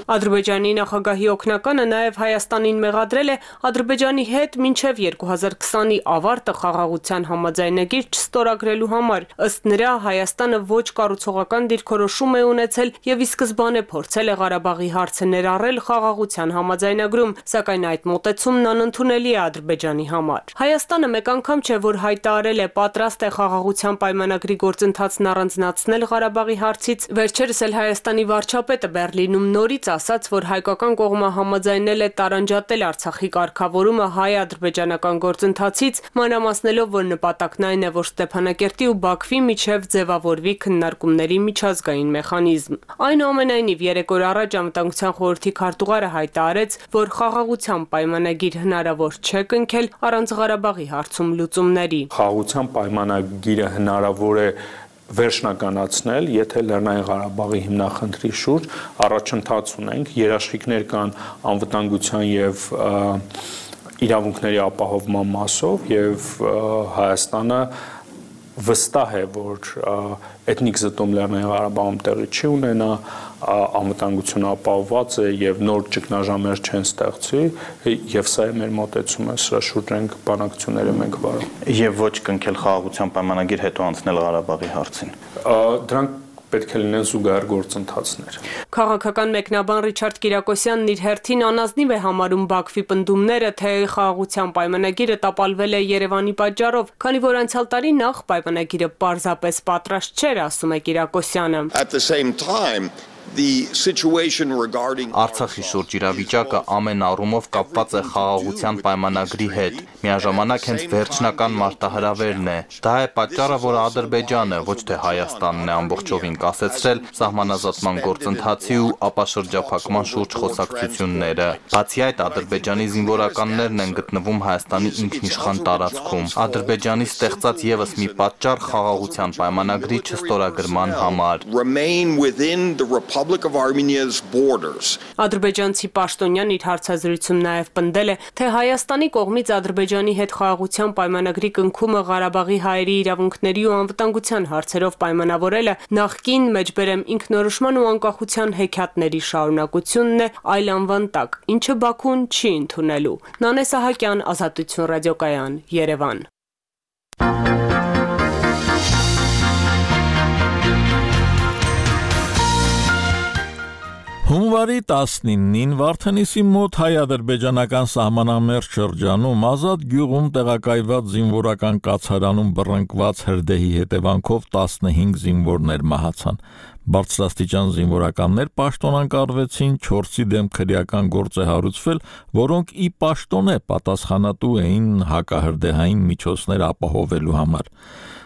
Ադրբեջանի նախագահի օգնականը նաև Հայաստանին մեղադրել է Ադրբեջանի հետ մինչև երկու հազար քսանի ավարտը խաղաղության համաձայնագիր չստորագրելու համար։ Ըստ նրա, Հայաստանը ոչ կառուցողական դիրքորոշում է ունեցել եւ ի սկզբանե փորձել է Ղարաբաղի հարցը ներառել խաղաղության համաձայնագրում, սակայն այդ մոտեցումն անընդունելի է Ադրբեջանի համար։ Հայաստանը մեկ անգամ չէ, որ հայտարարել է պատրաստ է խաղաղության պայմանագրի գործընթացն առանձնացնել Ղարաբաղի հարցից։ Վերջերս էլ Հայաստանի վարչապետը Բեռլինում նորից ասաց, որ հայկական կողմը համաձայնել է տարանջատել Արցախի կարգավորումը հայ-ադրբեջանական գործընթացից, մանրամասնելով, որ նպատակն այն է, որ Ստեփանակերտի ու Բաքվի միջև ձևավորվի քննարկումների միջազգային մեխանիզմ։ Այնուամենայնիվ, երեք օր առաջ Անվտանգության խորհրդի քարտուղարը հայտարարեց, որ խաղաղության պայմանագիր հնարավոր չէ կնքել առանց Ղարաբաղի հարցում լուծումների։ Խաղաղության պայմանագիրը հնարավոր է վերջնականացնել, եթե Լեռնային Ղարաբաղի հիմնախնդրի շուրջ առաջընթաց ունենք, երաշխիքներ կան անվտանգության եւ իրավունքների ապահովման մասով եւ Հայաստանը վստահ է, որ էթնիկ զտում Լեռնային Ղարաբաղում տեղի չի ունենա, անվտանգությունը ապահովված է եւ նոր ճգնաժամեր չեն ստեղծի եւ սա է մեր մոտեցումը, սրա շուրջ ենք բանակցությունները մենք վարում։ Եվ ոչ կնքել խաղաղության պայմանագիր, հետո անցնել Ղարաբաղի հարցին։ Դրանք պետք է լինեն զուգահեռ գործընթացներ։ Քաղաքական մեկնաբան Ռիչարդ Կիրակոսյանն իր հերթին անազնիվ է համարում Բաքվի պնդումները, թե խաղաղության պայմանագիրը տապալվել է Երևանի պատճառով, քանի որ անցյալ տարի նախ պայմանագիրը պարզապես պատրաստ չէր, ասում է Կիրակոսյանը։ Արցախի շուրջ իրավիճակը ամեն առումով կապված է խաղաղության պայմանագրի հետ։ Միաժամանակ հենց վերջնական մարտահրավերն է։ Դա է պատճառը, որ Ադրբեջանը, ոչ թե Հայաստանն է ամբողջովին կասեցրել սահմանազատման գործընթացի ու ապաշրջափակման շուրջ խոսակցությունները։ Բացի այդ, Ադրբեջանի զինվորականներն են գտնվում Հայաստանի ինքնիշխան տարածքում։ Ադրբեջանի ստեղծած եւս մի պատճառ խաղաղության պայմանագրի չստորագրման համար։ Ադրբեջանցի պաշտոնյան իր հարցազրույցում նաև պնդել է, թե Հայաստանի կողմից Ադրբեջանի հետ խաղաղության պայմանագրի կնքումը Ղարաբաղի հայերի իրավունքների ու անվտանգության հարցերով պայմանավորելը նախկին մեջբերեմ ինքնորոշման ու անկախության հեքիաթների շարունակությունն է այլ անվան տակ, ինչը Բաքուն չի ընդունելու։ Նանե Սահակյան, Ազատություն ռադիոկայան, Երևան։ Հունվարի տասնինին Վարդենիսի մոտ հայ-ադրբեջանական սահմանամերձ շրջանում Ազատ գյուղում տեղակայված զինվորական կացարանում բռնկված հրդեհի հետևանքով տասնհինգ զինվորներ մահացան։ Բարձրաստիճան զինվորականներ պաշտոնանկարվեցին, չորսի դեմ քրեական գործ է հարուցվել, որոնք ի պաշտոնե պատասխանատու էին հակահրդեհային միջոցներ ապահովելու համար։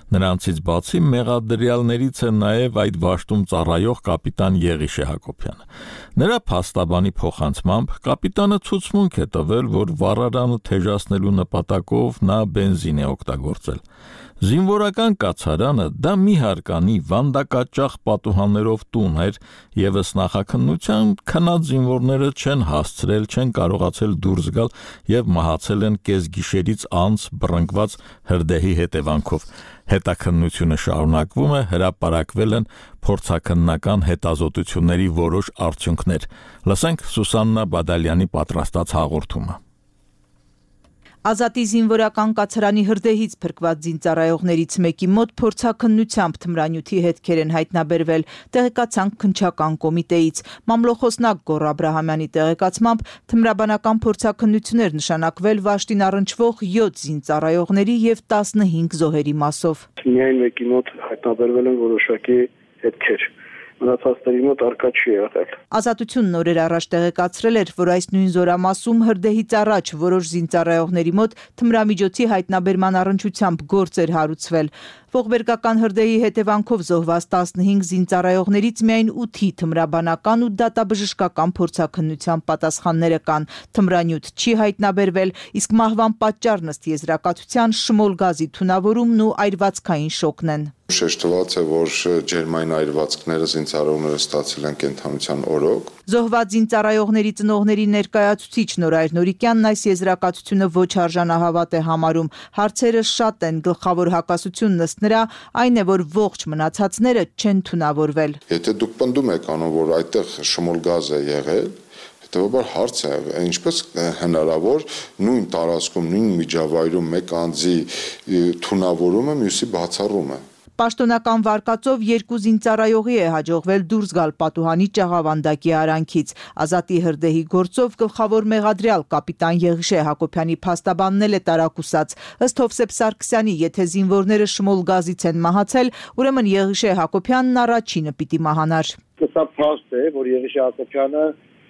Նրանցից բացի մեղադրյալներից է նաև այդ վաշտում ծառայող կապիտան Եղիշե Հակոբյանը։ Նրա փաստաբանի փոխանցմամբ կապիտանը ցուցմունք է տվել, որ վառարանը թեժացնելու նպատակով նա բենզին է օգտագործել։ Զինվորական կացարանը դա մի հարկանի վանդակաճախ պատուհաններով տուն էր, եւս նախաքննության քնած զինվորները չեն հասցրել, չեն կարողացել դուրս գալ եւ մահացել են կեսգիշերից անց բռնկված հրդեհի հետևանքով։ Հետաքննությունը շարունակվում է, հրապարակվել են փորձաքննական հետազոտությունների որոշ արդյունքներ։ Լսենք Սուսաննա Բադալյանի պատրաստած հաղորդումը։ Ազատի զինվորական կացարանի հրդեհից փրկված զինծառայողներից մեկի մոտ փորձաքննությամբ թմրանյութի հետքեր են հայտնաբերվել, տեղեկացանք քննչական կոմիտեից։ Մամլոխոսնակ Գոռ Աբրահամյանի տեղեկացմամբ թմրաբանական փորձաքննություններ նշանակվել վաշտին առնչվող յոթ զինծառայողների եւ տասնհինգ զոհերի մասով։ Միայն մեկի մոտ հայտնաբերվել են որոշակի հետքեր։ Մնացածների մոտ արկա չի եղել։ Ազատությունն օրեր առաջ տեղեկացրել էր, որ այս նույն զորամասում հրդեհից առաջ որոշ զինծառայողների մոտ թմրամիջոցի հայտնաբերման առնչությամբ գործ էր հարուցվել։ Ողբերգական հրդեհի հետևանքով զոհված տասնհինգ զինծառայողներից միայն ութի թմրաբանական ու դատաբժշկական փորձաքննության պատասխանները կան։ Թմրանյութ չի հայտնաբերվել, իսկ մահվան պատճառն ըստ եզրակացության շմոլ գազի թունավորումն ու այրվածքային շոկն են։ Շեշտված է, որ ջերմային այրվածքները զինծառայողները ստացել են կենթանության օրոք։ Զոհված զինծառայողների ծնողների ներկայացուցիչ Նորայր Նորիկյանն այս եզրակացությունը ոչ արժանահավատ է համարում։ Հարցերը շատ են, գլխավոր հակասությունն ըստ նրա այն է, որ ողջ մնացածները չեն թունավորվել։ Եթե դուք պնդում եք անում, որ այդտեղ շմոլ գազ է եղել, հետևաբար հարց է, ինչպես հնարավոր նույն տարածքում, նույն միջավայրում մեկ անձի թունավորումը մյուսի բացառումը։ Պաշտոնական վարկածով երկու զինծառայողի է հաջողվել դուրս գալ պատուհանի ճաղավանդակի արանքից։ Ազատի հրդեհի գործով գլխավոր մեղադրյալ կապիտան Եղիշե Հակոբյանի փաստաբանն էլ է տարակուսած։ Ըստ Հովսեփ Սարգսյանի, եթե զինվորները շմոլ գազից են մահացել, ուրեմն Եղիշե Հակոբյանն առաջինը պիտի մահանար։ Սա փաստ է, որ Եղիշե Հակոբյանը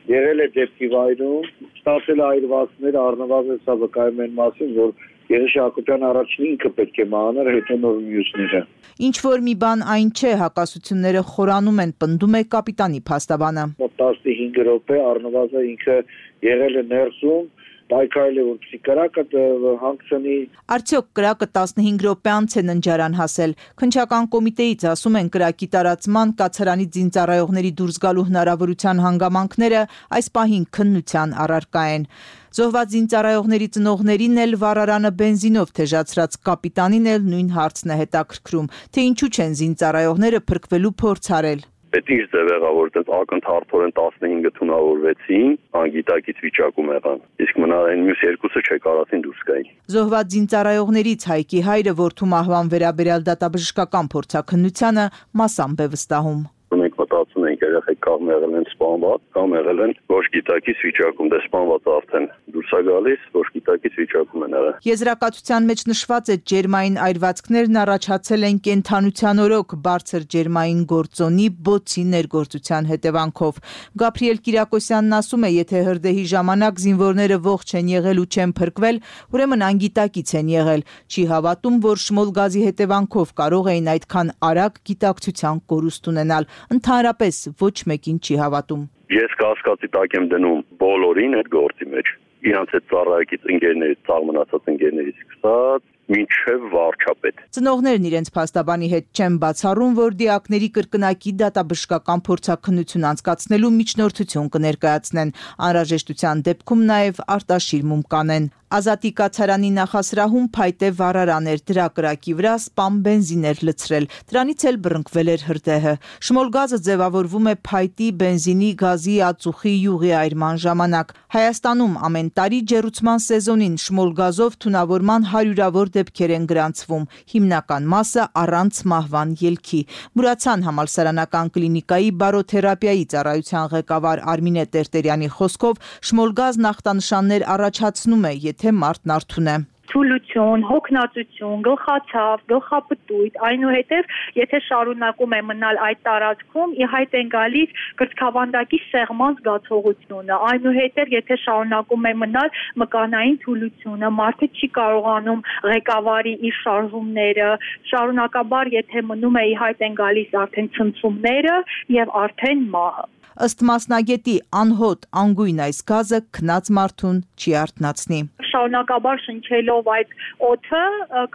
եղել է դեպքի վայրում, ստացել այրվածքներ, առնվազն սա վկայում են մասին, որ Եղիշե Հակոբյանը առաջինը ինքը պետք է մահանար, հետո նոր մյուսները։ Ինչ որ մի բան այն չէ, հակասությունները խորանում են, պնդում է կապիտանի փաստաբանը։ Մոտ տասնհինգ րոպե առնվազն ինքը եղել է ներսում, պայքարել է, որպեսզի կրակը հանգցնի։ Արդյոք կրակը տասնհինգ րոպե անց է ննջարան հասել։ Քննչական կոմիտեից ասում են, կրակի տարածման, կացարանի զինծառայողների դուրս գալու հնարավորության հանգամանքները այս պահին քննության առարկա են։ Զոհված զինծառայողների ծնողներին էլ վառարանը բենզինով թեժացրած կապիտանին էլ նույն հարցն է հետաքրքրում, թե ինչու չեն զինծառայողները փրկվելու փորձ արել։ Պետք է ձև եղավ, որ այդպես ակնթարթորեն տասնհինգը թունավորվեցին, անգիտակից վիճակում եղան։ Իսկ մնային մյուս երկուսը չեկարացին դուրս գային։ Զոհված զինծառայողներից Հայկի հայրը որդու մահվան վերաբերյալ դատաբժշկական փորձաքննությանը մասամբ է վստահում։ Մենք մտածում ենք երեխեք կամ եղել են սպանված, կամ եղել են ոչ գիտակից վիճակում, դե սպանվածը արդեն դուրս է գալիս, ոչ գիտակից վիճակում են եղել։ Եզրակացության մեջ նշված է ջերմային այրվածքներն առաջացել են կենթանության օրոք բարձր ջերմային գործոնի բոցի ներգործության հետևանքով։ Գաբրիել Կիրակոսյանն ասում է, եթե հրդեհի ժամանակ զինվորները ողջ են եղել ու չեն փրկվել, ուրեմն անգիտակից են եղել։ Չի հավատում, որ շմոլ գազի հետևանքով կարող էին այդքան արագ գիտակցության կորուստ ունենալ։ Ընդհանրապես ոչ մեկին չի հավատում։ Ես կասկածի տակ եմ դնում բոլորին այդ գործի մեջ։ Իրանց այդ ծառայակից ընկերներից, ցավ մնացած ընկերներից սկսած մինչև վարչապետ։ Ծնողներն իրենց փաստաբանի հետ չեն բացառում, որ դիակների կրկնակի դատաբժշկական փորձաքննություն անցկացնելու միջնորդություն կներկայացնեն։ Անհրաժեշտության դեպքում նաև արտաշիրմում կանեն։ Ազատի կացարանի նախասրահում փայտե վառարան էր, դրա կրակի վրա սպամ բենզին էր լցրել, դրանից էլ բռնկվել էր հրդեհը։ Շմոլ գազը ձևավորվում է փայտի, բենզինի, գազի, ածուխի, յուղի այրման ժամանակ։ Հայաստանում ամեն տարի ջեռուցման սեզոնին շմոլ գազով թունավորման հարյուրավոր դեպքեր են գրանցվում, հիմնական մասը առանց մահվան ելքի։ Մուրացան համալսարանական կլինիկայի բարոթերապիայի ծառայության ղեկավար Արմինե Տերտերյանի խոսքով շմոլ գազն ախտանշաններ առաջացնում է, եթե մարդն արթուն է։ Թուլություն, հոգնածություն, գլխացավ, գլխապտույտ, այնուհետև եթե շարունակում է մնալ այդ տարածքում, ի հայտ են գալիս կրծքավանդակի սեղման զգացողությունը, այնուհետև եթե շարունակում է մնալ մկանային թուլությունը, մարդը չի կարողանում ղեկավարի իր շարժումները, շարունակաբար եթե մնում է ի հայտ են գալիս արդեն ցնցումները եւ արդեն մահը։ Ըստ մասնագետի անհոտ անգույն այս գազը քնած մարդուն չի արթնացնի։ Շարունակաբար շնչելով այդ օդը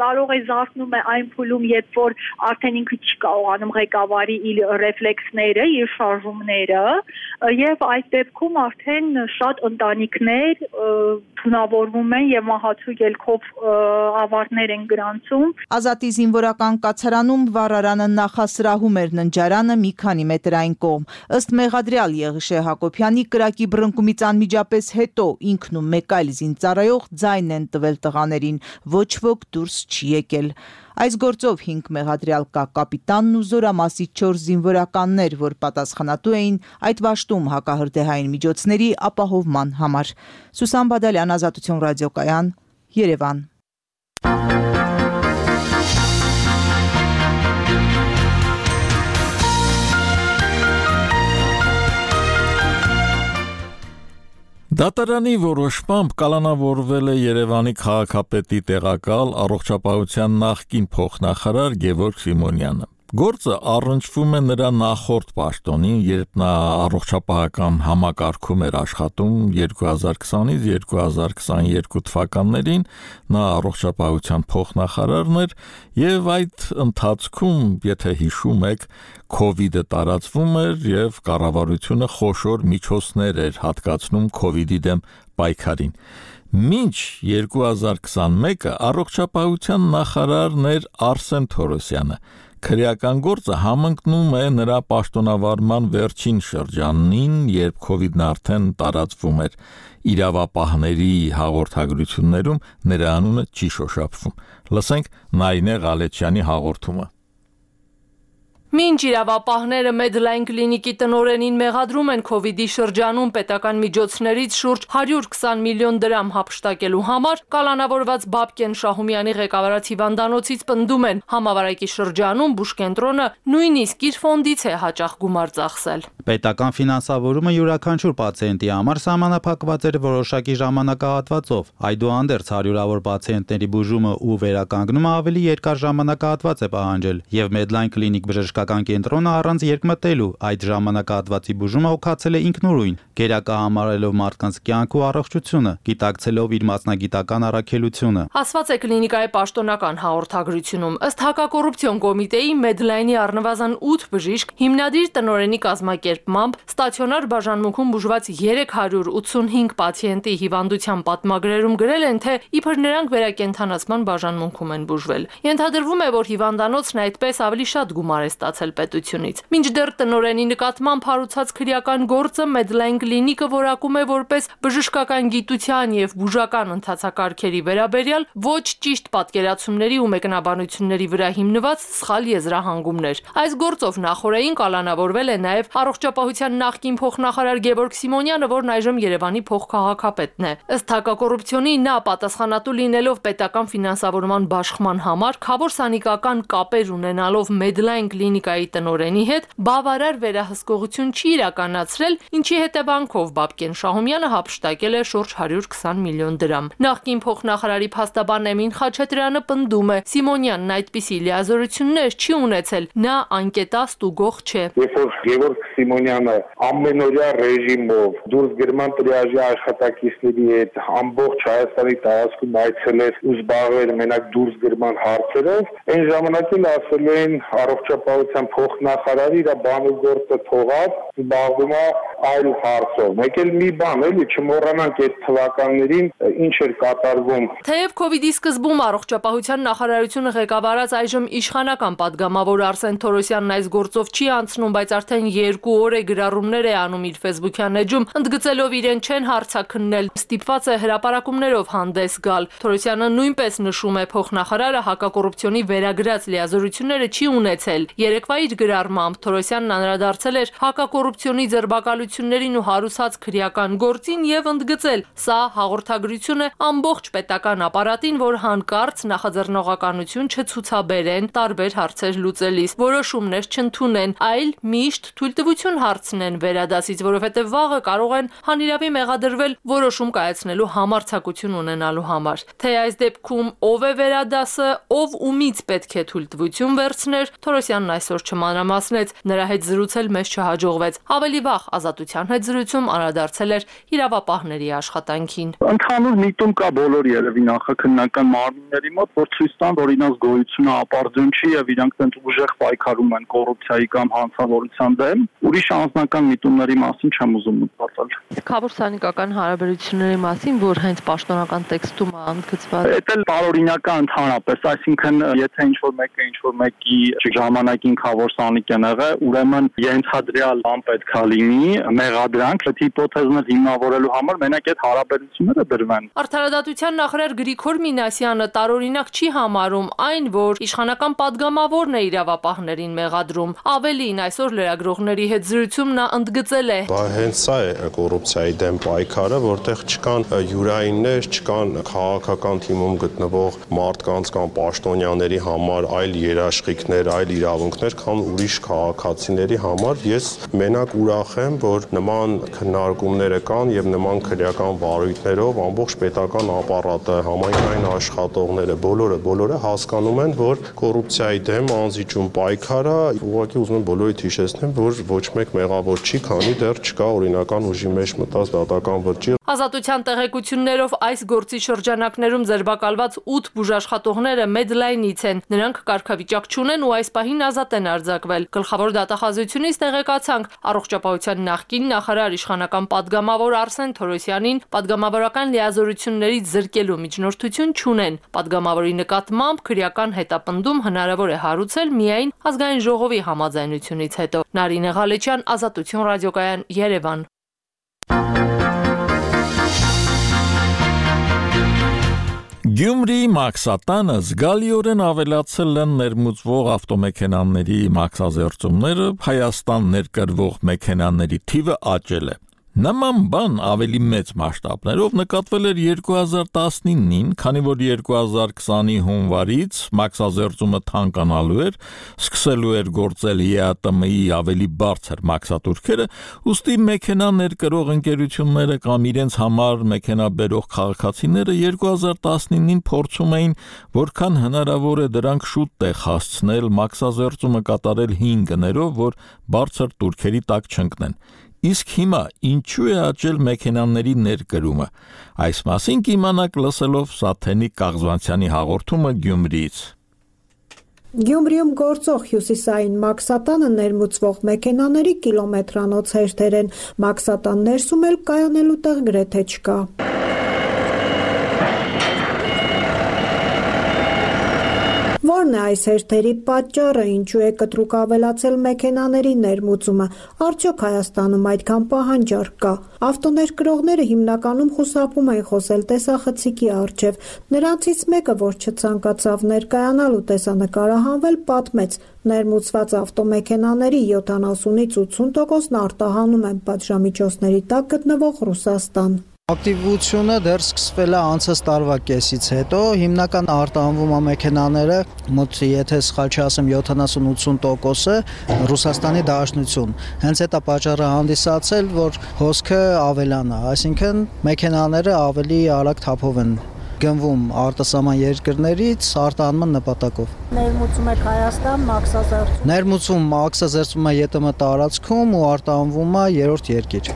կարող է զարթնում է այն փուլում, երբ որ արդեն ինքը չի կարողանում ղեկավարի իր ռեֆլեքսները, իր շարժումները, եւ այդ դեպքում արդեն շատ ընտանիքներ թունավորվում են եւ մահացու ելքով ավարտներ են գրանցում։ Ազատի զինվորական կացարանում վառարանը նախասրահում էր ննջարանը մի քանի մետրային կողմ։ Ըստ մեղադրյալ Եղիշե Հակոբյանի կրակի բռնկումից անմիջապես հետո ինքն ու մեկ այլ զինծառայող ձայն են տվել տղաներին, ոչ ոք դուրս չի եկել։ Այս գործով հինգ մեղադրյալ կա կապիտանն ու զորամասի չորս զինվորականներ, որ պատասխանատու էին այդ վաշտում հակահրդեհային միջոցների ապահովման համար։ Սուսան Բադալյան, Ազատություն ռադիոկայան, Երևան։ Դատարանի որոշմամբ կալանավորվել է Երևանի քաղաքապետի տեղակալ առողջապահության նախկին փոխնախարար Գևորգ Սիմոնյանը։ Գործը առնչվում է նրա նախորդ պաշտոնին, երբ նա առողջապահական համակարգում էր աշխատում երկու հազար քսանից երկու հազար քսաներկու թվականներին, նա առողջապահության փոխնախարարն էր եւ այդ ընթացքում, եթե հիշում եք, Քովիդը տարածվում էր եւ կառավարությունը խոշոր միջոցներ էր հատկացնում Քովիդի դեմ պայքարին։ Մինչ երկու հազար քսանմեկը առողջապահության նախարարն էր Արսեն Թորոսյանը։ Քրեական գործը համընկնում է նրա պաշտոնավարման վերջին շրջանին, երբ Քովիդն արդեն տարածվում էր։ Իրավապահների հաղորդագրություններում նրա անունը չի շոշափվում։ Լսենք Նայինե Ղալեչյանի հաղորդումը։ Մինչ իրավապահները Medline կլինիկի տնօրենին մեղադրում են Քովիդի շրջանում պետական միջոցներից շուրջ հարյուր քսան միլիոն դրամ հափշտակելու համար, կալանավորված Բաբկեն Շահումյանի ղեկավարած հիվանդանոցից պնդում են համավարակի շրջանում բուժկենտրոնը նույնիսկ իր ֆոնդից է հաճախ գումար ծախսել։ Պետական ֆինանսավորումը յուրաքանչյուր պացիենտի համար սահմանափակված էր որոշակի ժամանակահատվածով։ Այդուհանդերձ հարյուրավոր պացիենտների բուժումը ու վերականգնումը ավելի երկար ժամանակահատված է պահանջել, եւ Medline կլինիկ բժշկական կենտրոնը առանց երկմտելու այդ ժամանակահատվածի բուժումը օգացել է ինքնուրույն, գերակա համարելով մարդկանց կյանք ու առողջությունը, գիտակցելով իր մասնագիտական առաքելությունը։ Ասված է կլինիկայի պաշտոնական հաղորդագրությունում, ըստ հակակոռուպցիոն կոմիտեի Medline-ի առնվազն ութ բժիշկ հիմնադիր տնօրենի կազմակերպմամբ ստացիոնար բաժանմունքում բուժված երեք հարյուր ութսունհինգ պացիենտի հիվանդության պատմագրերում գրել են, թե իբր նրանք վերակենդանացման բաժանմունքում են բուժվել։ Ենթադրվում է, որ հիվանդանոցն այդպես ավելի շատ գումար է ստացել պետությունից։ Մինչդեռ տնօրենի նկատմամբ հարուցած քրեական գործը Medline կլինիկը որակում է որպես բժշկական գիտության եւ բուժական ընթացակարգերի վերաբերյալ ոչ ճիշտ պատկերացումների ու մեկնաբանությունների վրա հիմնված սխալ եզրահանգումներ։ Այս գործով նախորդին կալանավորվել է նաեւ առողջապահության նախկին փոխնախարար Գևորգ Սիմոնյանը, որն այժմ Երևանի փոխքաղաքապետն է։ Ըստ հակակոռուպցիոնի նա պատասխանատու լինելով պետական ֆինանսավորման բաշխման համար, խավոր սանիկական կապեր ունենալով Medline կլինիկայի տնօրենի հետ բավարար վերահսկողություն չի իրականացրել, ինչի հետևանքով Բաբկեն Շահումյանը հափշտակել է շուրջ հարյուր քսան միլիոն դրամ։ Նախկին փոխնախարարի փաստաբան Էմին Խաչատրյանը պնդում է, Սիմոնյանն այդպիսի լիազորություններ չի ունեցել, նա անկետաստ ու գող չէ։ Երբ որ Գևորգ Սիմոնյանը ամենօրյա ռեժիմով դուրս գրման տրիաժի աշխատակիցների հետ ամբողջ Հայաստանի տարածքում այցելեր ու զբաղվել մենակ դուրս գրման հարցերով, այն ժամանակ էլ ասել են առողջապահության փոխնախարարը իր բանուգործը թողած զբաղվում է այլ հարցով։ Մեկ էլ մի բան էլի չմոռանանք այդ թվականներին ինչ էր կատարվում։ Թեև Քովիդի սկզբում առողջապահության նախարարությունը ղեկավարած այժմ իշխանական падգամավոր Արսեն Թորոսյանն այս գործով չի անցնում, բայց արդեն երկու օր է գրառումներ է անում իր Facebook-յան էջում, ընդգծելով իրեն չեն հարցաքննել, ստիպված է հրապարակումներով հանդես գալ։ Թորոսյանը նույնպես նշում է, փոխնախարարը հակակոռուպցիոնի վերագրած լիազորությունները չի ունեցել։ Երեկվա իր գրառմամբ Թորոսյանն անդրադարձել էր հակակոռուպցիոնի ձերբակալություններին ու հարուսած քրեական գործին եւ ընդգծել, սա հաղորդագրություն է ամբողջ պետական ապարատին, որ հանկարծ նախաձեռնողականություն չցուցաբերեն տարբեր հարցեր լուծելիս, որոշումներ չընդունեն, այլ միշտ թույլտվություն հարցնեն վերադասից, որովհետեւ վաղը կարող են հանիրավի մեղադրվել որոշում կայացնելու համարձակություն ունենալու համար։ Թե այս դեպքում ով է վերադասը, ով ումից պետք է թույլտվություն վերցներ, Թորոսյանն այսօր չմանրամասնեց, նրա հետ զրուցել մեզ չհաջողվեց։ Ավելի վաղ Ազատության հետ զրույցում անդրադարձել էր իրավապահների աշխատանքին։ Ընդհանուր միտում կա բոլոր երևի նախաքննական մարմինների մոտ, որ ցույց տան, որ իրենց գոյությունը ապարդյուն չի եւ իրանք տենց ուժեղ պայքարում են կոռուպցիայի կամ հանցավորության դեմ։ Ուրիշ անձնական միտումների մասին չեմ ուզում մտածել։ Քաղաքսանիկական հարաբերությունների մասին, որ հենց պաշտոնական տեքստում է ընդգծված։ Դա էլ տարօրինական ընդհանրապես, այսինքն եթե ինչ-որ մեկը ինչ-որ մեկի ժամանակին խավոր սանիկ են եղել, ուրեմն ենթադրյալ բան պետք է լինի, մեղադրանք, այդ հիպոթեզն հիմնավորելու համար մենակ այդ հարաբերությունները դրվեն։ Արդարադատության նախարար Գրիգոր Մինասյանը տարօրինակ չի համարում այն, որ իշխանական падգամավորն է իրավապահներին մեղադրում։ Ավելին, այսօր լրագրողների հետ զրույցում նա ընդգծել է. Բա հենց սա է կոռուպցիայի դեմ պայքարը, որտեղ չկան յուրայիններ, չկան քաղաքական թիմում գտնվող մարդկանց կամ պաշտոնյաների համար այլ երաշխիքներ, այլ իրավունքներ, քան ուրիշ քաղաքացիների համար։ Ես մենակ ուրախ եմ, որ նման քննարկումները կան եւ նման քրեական վարույթներով ամբողջ պետական ապարատը, համայնքային աշխատողները, բոլորը, բոլորը հասկանում են, որ կոռուպցիայի դեմ անզիջում պայքարը, ուղղակի ուզում եմ բոլորիդ հիշեցնեմ, որ ոչ մեկ մեղավոր չի, քանի դեռ չկա օրինական ուժի մեջ մտած դատական վճիռ։ Ազատության տեղեկություններով այս գործի շրջանակներում ձերբակալված ութ բուժաշխատողները Medline-ից են։ Նրանք կարգավիճակ չունեն ու այս պահին ազատ են արձակվել։ Գլխավոր դատախազությունից տեղեկացանք առողջապահության նախկին նախարար իշխանական падգամավոր Արսեն Թորոսյանին падգամավորական լիազորություններից զրկելու միջնորդություն չունեն։ Падգամավորի նկատմամբ քրեական հետապնդում հնարավոր է հարուցել միայն ազգային ժողովի համաձայնությունից հետո։ Նարինե Ղալեչյան, Ազատություն ռադիոկայան, Երևան։ Գյումրիի մաքսատանը զգալիորեն ավելացել են ներմուծվող ավտոմեքենաների մաքսազերծումները, Հայաստան ներկրվող մեքենաների թիվը աճել է։ Նման բան ավելի մեծ մասշտաբներով նկատվել էր երկու հազար տասնինին, քանի որ երկու հազար քսանի հունվարից մաքսազերծումը թանկանալու էր, սկսելու էր գործել Է Ա Տը Մը-ի ավելի բարձր մաքսատուրքերը, ուստի մեքենա ներկրող ընկերությունները կամ իրենց համար մեքենա բերող քաղաքացիները երկու հազար տասնինին փորձում էին որքան հնարավոր է դրանք շուտ տեղ հասցնել, մաքսազերծումը կատարել հին գներով, որ բարձր տուրքերի տակ չընկնեն։ Իսկ հիմա ինչու է աճել մեքենաների ներկրումը։ Այս մասին կիմանաք լսելով Սաթենիկ Կաղզվանցյանի հաղորդումը Գյումրիից։ Գյումրիում գործող հյուսիսային մաքսատանը ներմուծվող մեքենաների կիլոմետրանոց հերթեր են, մաքսատան ներսում էլ կայանելու տեղ գրեթե չկա։ Որն է այս հերթերի պատճառը, ինչու է կտրուկ ավելացել մեքենաների ներմուծումը, արդյոք Հայաստանում այդքան պահանջարկ կա։ Ավտոներկրողները հիմնականում խուսափում են խոսել տեսախցիկի առջև։ Նրանցից մեկը, որ չցանկացավ ներկայանալ ու տեսանկարահանվել, պատմեց. ներմուծված ավտոմեքենաների յոթանասունից ութսուն տոկոսն արտահանում են պատժամիջոցների տակ գտնվող Ռուսաստան։ Ակտիվությունը դեռ սկսվել է անցած տարվա կեսից հետո, հիմնական արտահանվում է մեքենաները, մոտ եթե սխալ չասեմ յոթանասուն ութսուն տոկոսը Ռուսաստանի Դաշնություն։ Հենց այդ է պատճառը հանդիսացել, որ հոսքը ավելանա, այսինքն մեքենաները ավելի արագ թափով են գնվում արտասահման երկրներից արտահանման նպատակով։ Ներմուծում եք Հայաստան, մաքսազերծում։ Ներմուծում, մաքսազերծում է Ե Տը Մը տարածքում ու արտահանվում է երրորդ երկիր։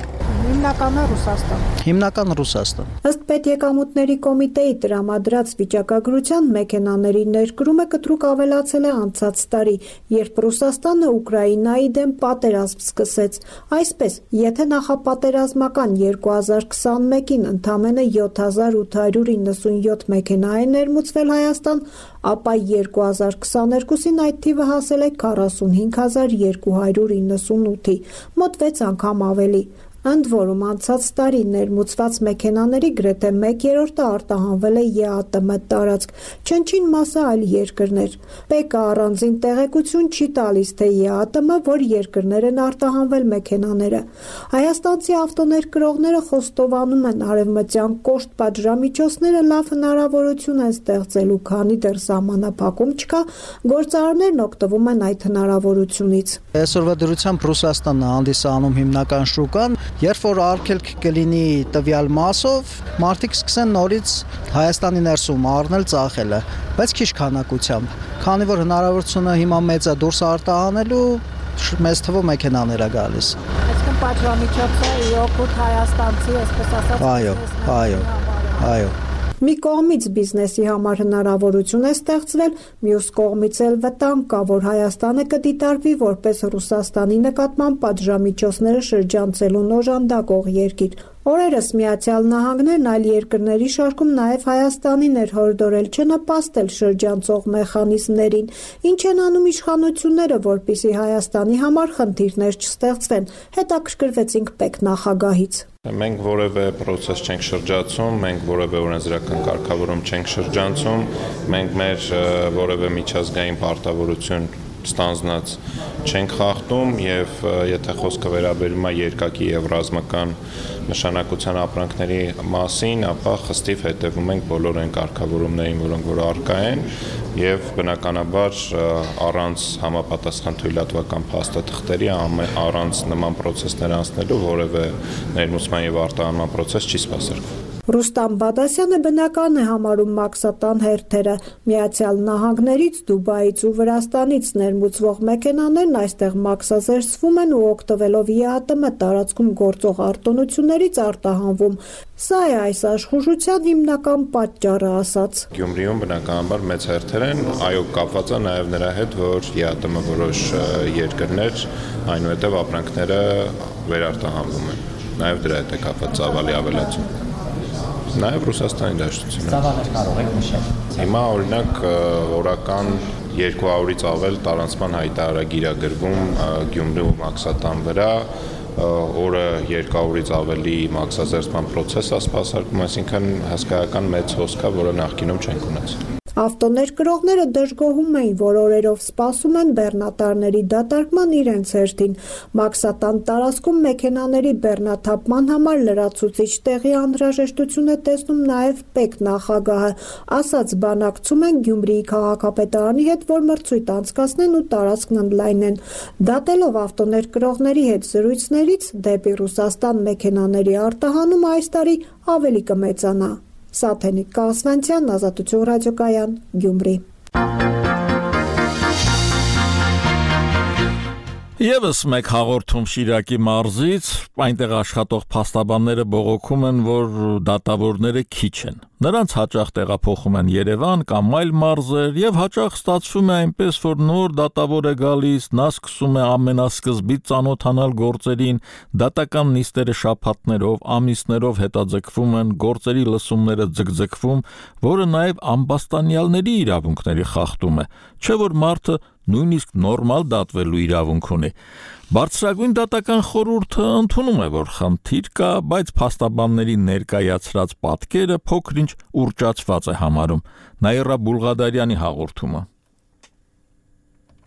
Հիմնականը Ռուսաստան։ Հիմնական Ռուսաստան։ Ըստ Պետեկամուտների կոմիտեի տրամադրած վիճակագրության մեքենաների ներկրումը կտրուկ ավելացել է անցած տարի, երբ Ռուսաստանը Ուկրաինայի դեմ պատերազմ սկսեց։ Այսպես, եթե նախապատերազմական երկու հազար քսանմեկին ընդամենը յոթ հազար ութ հարյուր իննսունյոթ մեքենա է ներմուծվել Հայաստան, ապա երկու հազար քսաներկուսին այդ թիվը հասել է քառասունհինգ հազար երկու հարյուր իննսունութի, մոտ վեց անգամ ավելի։ Ընդ որում անցած տարի ներմուծված մեքենաների գրեթե մեկ երրորդը արտահանվել է Է Ա Տը Մը տարածք, չնչին մասը այլ երկրներ։ Պեկը առանձին տեղեկություն չի տալիս, թե Է Ա Տը Մը որ երկրներ են արտահանվել մեքենաները։ Հայաստանցի ավտոներկրողները խոստովանում են արևմտյան կոշտ պատժամիջոցները լավ հնարավորություն են ստեղծելու, քանի դեռ սահմանափակում չկա, գործարարներն օգտվում են այդ հնարավորությունից։ Այսօրվա դրությամբ Ռուսաստանն է հանդիսանում հիմնական շուկան, Երբ որ արգելք կլինի տվյալ մասով, մարդիկ սկսեն նորից Հայաստանի ներսում առնել ծախելը, բայց քիչ քանակությամբ, քանի որ հնարավորությունը հիմա մեծ է դուրս արտահանելու, մեծ թվով մեքենաներ է գալիս։ Այսինքն պատժամիջոցը օգուտ հայաստանցի, այսպես ասած։ Այո, այո, այո։ Մի կողմից բիզնեսի համար հնարավորություն է ստեղծվել, մյուս կողմից էլ վտանգ կա, որ Հայաստանը կդիտարկվի որպես Ռուսաստանի նկատմամբ պատժամիջոցները շրջանցելու օժանդակող երկիր։ Օրերս Միացյալ Նահանգներն այլ երկրների շարքում նաև Հայաստանին էր հորդորել չնպաստել շրջանցող մեխանիզմներին, ինչ են անում իշխանությունները, որպեսզի Հայաստանի համար խնդիրներ չստեղծվեն, հետաքրքրվեցինք պետնախագահից։ Մենք որևէ process չենք շրջացում, մենք որևէ օրենսդրական կարգավորում չենք շրջանցում, մենք մեր որևէ միջազգային պարտավորություն ստանձնած չենք խախտում եւ եթե խոսքը վերաբերում է երկակի եւ ռազմական նշանակության ապրանքների մասին, ապա խստիվ հետևում ենք բոլոր այն կարգավորումներին, որոնք որ առկա են եւ բնականաբար առանց համապատասխան թույլատվական փաստաթղթերի առանց նման process-ներ անցնելու որևէ ներմուծման եւ արտահանման process չի սպասարկվում։ Ռուստամ Բադասյանը բնական է համարում մաքսատան հերթերը։ Միացյալ Նահանգներից, Դուբայից ու Վրաստանից ներմուծվող մեքենաներն այստեղ մաքսազերծվում են ու օգտվելով ԵԱՏՄ տարածքում գործող արտոնություններից արտահանվում։ Սա է այս աշխուժության հիմնական պատճառը, ասաց։ Գյումրիում բնականաբար մեծ հերթեր են, այո, կապված է նաև նրա հետ, որ ԵԱՏՄ որոշ երկրներ այնուհետև ապրանքները վերարտահանվում են։ Նաև դրա հետ է կապված ծավալի ավելացում։ Նաև Ռուսաստանի դաշտությունը։ Ծավալներ կարող եք նշել։ Հիմա օրինակ օրական երկու հարյուրից ավել տարանցման հայտարարագիր է գրվում Գյումրու մաքսատան վրա, օրը երկու հարյուրից ավելի մաքսազերծման process է սպասարկում, այսինքն հսկայական մեծ հոսք է, որը նախկինում չենք ունեցել։ Ավտոներկրողները դժգոհում էին, որ օրերով սպասում են բեռնատարների դատարկման իրենց հերթին։ Մաքսատան տարածքում մեքենաների բեռնաթափման համար լրացուցիչ տեղի անհրաժեշտություն է տեսնում նաև պետնախագահը, ասաց բանակցում են Գյումրիի քաղաքապետարանի հետ, որ մրցույթ անցկացնեն ու տարածքն ընդլայնեն։ Դատելով ավտոներկրողների հետ զրույցներից դեպի Ռուսաստան մեքենաների արտահանումը այս տարի ավելի կմեծանա։ Սաթենիկ Կասվանցյան, Ազատություն ռադիոկայան, Գյումրի։ Եվս մեկ հաղորդում Շիրակի մարզից, այնտեղ աշխատող փաստաբանները բողոքում են, որ դատավորները քիչ են։ Նրանց հաճախ տեղափոխում են Երևան կամ այլ մարզեր եւ հաճախ ստացվում է այնպես, որ նոր դատավոր է գալիս, նա սկսում է ամենասկզբից ծանոթանալ գործերին, դատական նիստերը շաբաթներով, ամիսներով հետաձգվում են, գործերի լսումները ձգձգվում, որը նաեւ ամբաստանյալների իրավունքների խախտում է, չէ՞ որ մարդը նույնիսկ նորմալ դատվելու իրավունք ունի։ Բարձրագույն դատական խորհուրդը ընդունում է, որ խնդիր կա, բայց փաստաբանների ներկայացրած պատկերը փոքր-ինչ ուռճացված է համարում։ Նաիրա Բուլղադարյանի հաղորդումը։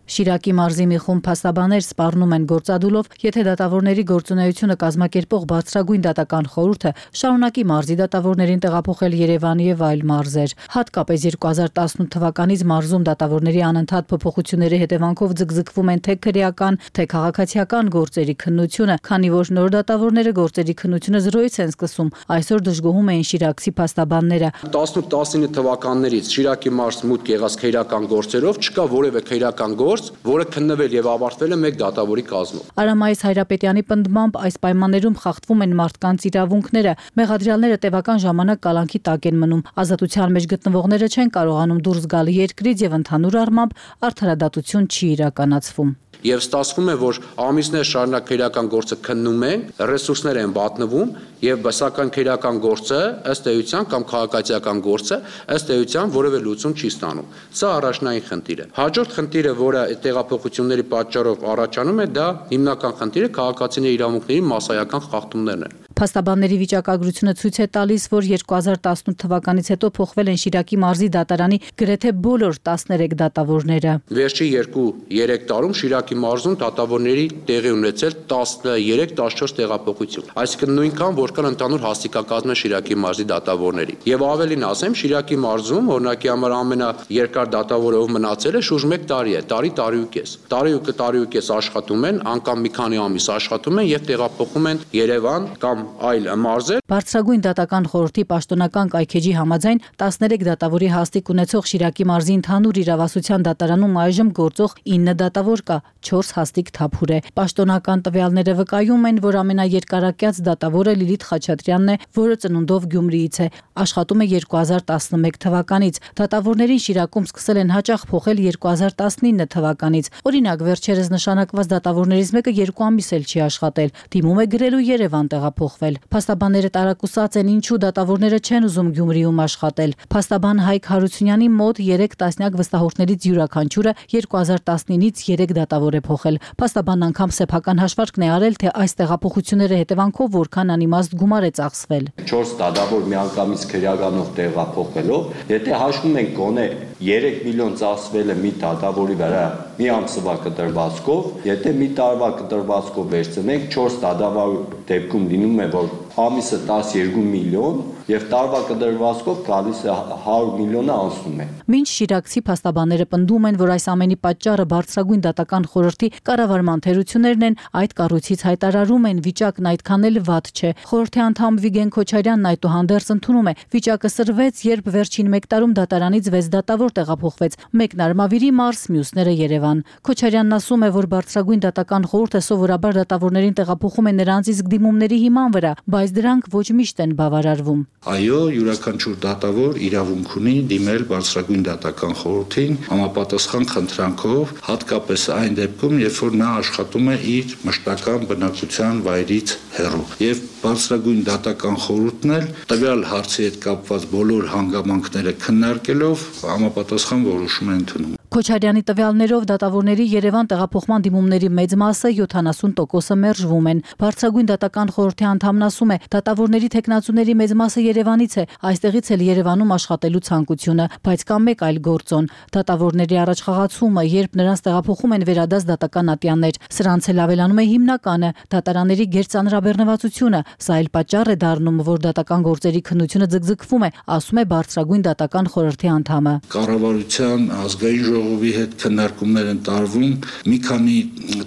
Շիրակի մարզի մի խումբ փաստաբաներ սպառնում են գործադուլով, եթե դատավորների գործունեությունը կազմակերպող բարձրագույն դատական խորհուրդը շարունակի մարզի դատավորներին տեղափոխել Երևան եւ այլ մարզեր։ Հատկապես երկու հազար տասնութ թվականից մարզում դատավորների անընդհատ փոփոխությունների հետևանքով ձգձգվում են թե քրեական, թե քաղաքացիական գործերի քննությունը, քանի որ նոր դատավորները գործերի քննությունը զրոյից են սկսում։ Այսօր դժգոհում էին շիրակցի փաստաբանները։ տասնութ տասնինը թվականներից Շիրակի մարզ մուտք եղած քրեական գործերով չկա որևէ քրեական գործ, որը քննվել եւ ավարտվել է մեկ դատավորի կազմով։ Արամայիս Հայրապետյանի պնդմամբ այս պայմաններում խախտվում են մարդկանց իրավունքները, մեղադրյալները տևական ժամանակ կալանքի տակ են մնում, ազատության մեջ գտնվողները չեն կարողանում դուրս գալ երկրից եւ ընդհանուր առմամբ արդարադատություն չի իրականացվում։ Եվ ստացվում է, որ ամիսներ շարունակ քրեական գործը քննում են, ռեսուրսներ են վատնվում եւ սակայն քրեական գործը ըստ էության կամ քաղաքացիական գործը ըստ էության որևէ լուծում չի ստանում։ Սա առաջնային խնդիր է։ Հաջորդ խնդիրը, որը տեղափոխությունների պատճառով առաջանում է, դա հիմնական խնդիրը քաղաքացիների իրավունքների մասսայական խախտումներն են։ Փաստաբանների վիճակագրությունը ցույց է տալիս, որ երկու հազար տասնութ թվականից հետո փոխվել են Շիրակի մարզի դատարանի գրեթե բոլոր տասներեք դատավորները։ Վերջի երկու երեք տարում Շիրակի մարզում դատավորների տեղի ունեցել տասներեք տասնչորս տեղափոխություն, այսինքն նույնքան որքան ընդհանուր հասարակակազմը Շիրակի մարզի դատավորների։ Եվ ավելին ասեմ, Շիրակի մարզում օրինակի համար ամենաերկար դատավորը ով մնացել է շուրջ մեկ տարի է, տարի տարի ու կես։ Տարի ու տարի ու կես աշխատում են, անգամ մի քանի ամիս աշխատում են եւ տեղափոխում են Երևան կամ այլ մարզեր։ Բարձրագույն դատական խորհրդի պաշտոնական կայքեջի համաձայն տասներեք դատավորի հաստիկ ունեցող Շիրակի մարզի ընդհանուր իրավասության դատարանում այժմ գործող ինը դատավոր կա, չորս հաստիկ թափուր է։ Պաշտոնական տվյալները վկայում են, որ ամենաերկարակյաց դատավորը Լիլիթ Խաչատրյանն է, որը ծնունդով Գյումրիից է, աշխատում է երկու հազար տասնմեկ թվականից։ Դատավորներին Շիրակում սկսել են հաճախ փոխել երկու հազար տասնինը թվականից։ Օրինակ, վերջերս նշանակված դատավորներից մեկը երկու ամիս էլ չի աշխատել, դիմում է գրելու Երևան տեղափոխվել։ Փաստաբանները տարակուսած են, ինչու դատավորները չեն ուզում Գյումրիում աշխատել։ Փաստաբան Հայկ Հարությունյանի մոտ երեք տասնյակ վստահորդներից յուրաքանչյուրը երկու հազար տասնինից երեք դատավոր է փոխել։ Փաստաբանն անգամ սեփական հաշվարկն է արել, թե այս տեղափոխությունների հետևանքով որքան անիմաստ գումար է ծախսվել։ չորս դատավոր միանգամից քրեականով տեղափոխելով, եթե հաշվում ենք գոնե երեք միլիոն ծախսվել է մի դատավորի վրա մի ամսվա կտրվածքով, եթե մի տարվա կտրվածքով վերցնենք, չորս դատավոր դեպքում լինում է, որ ամիսը տասներկու միլիոն եւ տարվա կտրվածքով գալիս է հարյուր միլիոնը անցնում է։ Մինչ շիրակցի փաստաբանները պնդում են, որ այս ամենի պատճառը բարձրագույն դատական խորհրդի կառավարման թերություններն են, այդ կառույցից հայտարարում են վիճակն այդքան էլ վատ չէ։ Խորհրդի անդամ Վիգեն Քոչարյանն այդուհանդերձ ընդունում է, վիճակը սրվեց, երբ վերջին մեկ տարում դատարանից վեց դատավոր տեղափոխվեց, մեկն Արմավիրի մարզ, մյուսները Երևան։ Քոչարյանն ասում է, որ բարձրագույն դատական խորհուրդը սովորաբար դատավորներին տեղափոխում է նրանց իսկ դիմումների հիման վրա, բայց դրանք ոչ միշտ են բավարարվում։ Այո, յուրաքանչյուր դատավոր իրավունք ունի դիմել բարձրագույն դատական խորհրդին համապատասխան խնդրանքով, հատկապես այն դեպքում, երբ որ նա աշխատում է իր մշտական բնակության վայրից հեռու։ Եվ բարձրագույն դատական խորհուրդն էլ տվյալ հարցի հետ կապված բոլոր հանգամանքները քննարկելով համապատասխան որոշում է ընդունում։ Քոչարյանի տվյալներով դատավորների Երևան տեղափոխման դիմումների մեծ մասը յոթանասուն տոկոսը մերժվում են։ Բարձրագույն դատական խորհրդի անդամն ասում է, դատավորների թեկնածուների մեծ մասը Երևանից է, այստեղից էլ Երևանում աշխատելու ցանկությունը, բայց կա մեկ այլ գործոն՝ դատավորների առաջխաղացումը, երբ նրանց տեղափոխում են վերադաս դատական ատյաններ։ Սրանց էլ ավելանում է հիմնականը՝ դատարանների գերծանրաբեռնվածությունը, սա էլ պատճառ է դառնում, որ դատական գործերի քննությունը ձգձգվում է, ասում է բարձրագույն դատական խորհրդի անդամը։ Կառավարության ազգային ժողովի հետ քննարկումներ են տարվում մի քանի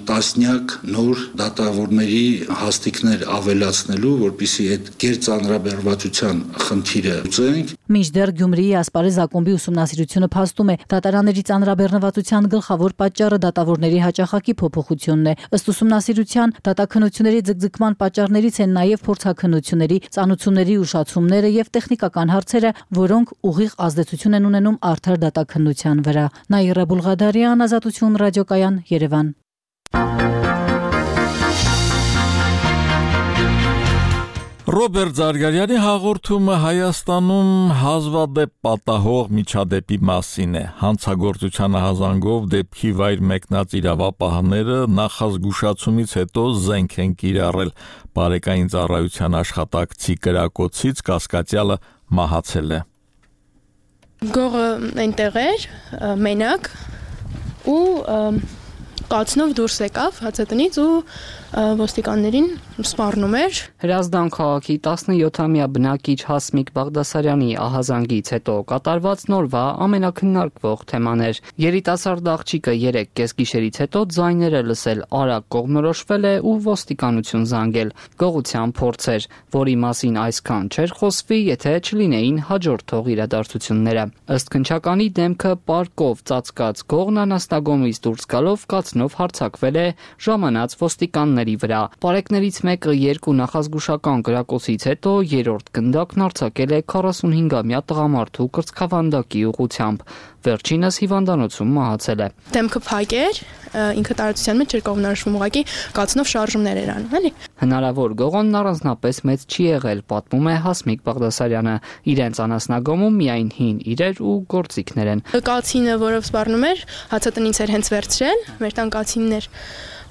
տասնյակ նոր դատավորների հաստիկներ ավելացնելու, որպեսզի այդ գերծանրաբեռնվածության խնդիրը լուծենք։ Մինչդեռ Գյումրիի Ասպարեզ ակումբի ուսումնասիրությունը փաստում է, դատարանների ծանրաբեռնվածության գլխավոր պատճառը դատավորների հաճախակի փոփոխությունն է։ Ըստ ուսումնասիրության, դատաքննությունների ձգձգման պատճառներից են նաև փորձաքննությունների, ծանուցումների ուշացումները եւ տեխնիկական հարցերը, որոնք ուղիղ ազդեցություն են ունենում արդար դատաքննության վրա։ Նաիրա Բուլղադարյան, Ազատություն ռադիոկայան, Երևան։ Ռոբերտ Զարգարյանի հաղորդումը Հայաստանում հազվադեպ պատահող միջադեպի մասին է։ Հանցագործության հազանգով դեպքի վայր մեկնած իրավապահները նախազգուշացումից հետո զենք են կիրառել։ Բարեկային ծառայության աշխատակցի կրակոցից կասկածյալը մահացել է։ Գողը այնտեղ էր, մենակ, ու կացնով դուրս եկավ հացատնից ու ոստիկաններին սպառնում էր։ Հրազդան քաղաքի տասնյոթամյա բնակիչ Հասմիկ Բաղդասարյանի ահազանգից հետո կատարված նորվա ամենակննարկվող թեման էր։ Երիտասարդ աղջիկը երեք կեսգիշերից հետո ձայները լսել արագ կողմնորոշվել է ու ոստիկանություն զանգել։ Գողության փորձ էր, որի մասին այսքան չէր խոսվի, եթե չլինեին հաջորդող իրադարձությունները։ Ըստ քննչականի դեմքը պարկով ծածկած գողն անաստագոմից դուրս գալով կացնով հարձակվել է ժամանած ոստիկանների վրա։ Պարեկներից մեկը երկու նախազգուշական կրակոցից հետո երրորդ գնդակն արձակել է քառասունհինգամյա տղամարդու կրծքավանդակի ուղղությամբ։ Վերջինս հիվանդանոցում մահացել է։ Դեմքը փակ էր, ինքը տարածության մեջ էր կողմնորոշվում, ուղղակի կացնով շարժումներ էր անում, էլի։ Հնարավոր գողոնն առանձնապես մեծ չի եղել, պատմում է Հասմիկ Բաղդասարյանը։ Իրենց անասնագոմում միայն հին իրեր ու գործիքներ են։ Կացինը, որով սպառնում էր, հացատնից էր հենց վերցրել, մեր տան կացինն էր,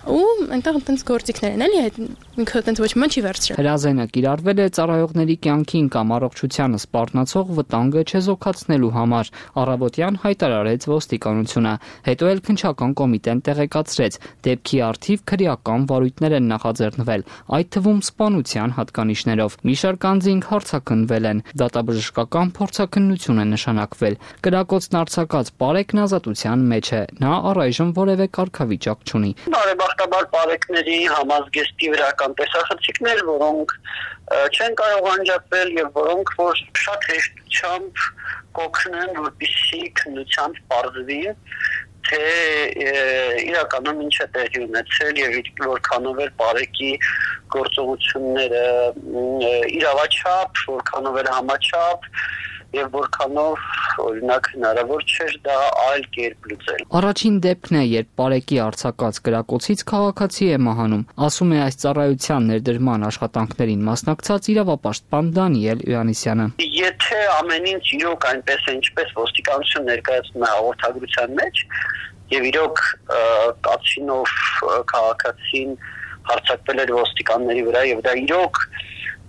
ու այնտեղ այնտենց գործիքներ են, էլի, ինքը այնտենց ոչ մի չի վերցրել։ Հրազենը կիրառվել է ծառայողների կյանքին կամ առողջությանը սպառնացող վտանգը չեզոքացնելու համար, առավոտյան հայտարարեց ոստիկանությունը, հետո էլ քննչական կոմիտեն տեղեկացրեց, դեպքի առթիվ քրեական վարույթներ են նախաձեռնվել, այդ թվում սպանության հատկանիշներով։ Մի շարք անձինք հարցաքննվել են, դատաբժշկական փորձաքննություն է նշանակվել։ Կրակոցն արձակած Պարեկն ազատության մեջ է, նա առայժմ որևէ կարգավիճակ չունի։ Բարեբախտաբար Պարեկների համազգեստի վրական տեսախցիկներ, որոնք չեն կարող անջատվել եւ որոնք որ շատ հեշտությամբ կօգնեն, որպեսզի քննությամբ պարզվի, թե իրականում ինչ է տեղի ունեցել եւ որքանով էր Պարեկի գործողությունները իրավաչափ, որքանով էր համաչափ եւ որքանով օրինակ հնարավոր չէր դա այլ կերպ լուծել։ Առաջին դեպքն է, երբ Պարեկի արձակած կրակոցից քաղաքացի է մահանում, ասում է այս ծառայության ներդրման աշխատանքներին մասնակցած իրավապաշտպան Դանիել Իրանիսյանը։ Եթե ամեն ինչ իրոք այնպես է, ինչպես ոստիկանություն ներկայացնում է հաղորդագրության մեջ, եւ իրոք կացինով քաղաքացին հարձակվել էր ոստիկանների վրա եւ դա իրոք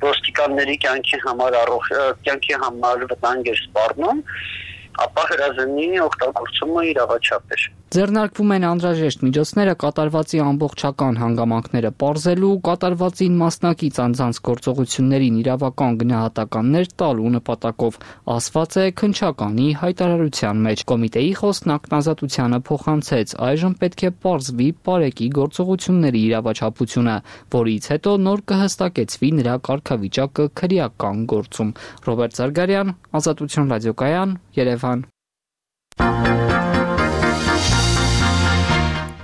ոստիկանների կյանքի համար առող կյանքի համար վտանգ էր սպառնում, ապա հրազենի օգտագործումը իրավաչափ էր։ Ձեռնարկվում են անհրաժեշտ միջոցները կատարվածի ամբողջական հանգամանքները պարզելու, կատարվածին մասնակից անձանց գործողություններին իրավական գնահատականներ տալու նպատակով, ասված է քննչականի հայտարարության մեջ։ Կոմիտեի խոսնակն Ազատությանը փոխանցեց, այժմ պետք է պարզվի Պարեկի գործողությունների իրավաչափությունը, որից հետո նոր կհստակեցվի նրա կարգավիճակը քրեական գործում։ Ռոբերտ Զարգարյան, Ազատություն ռադիոկայան, Երևան։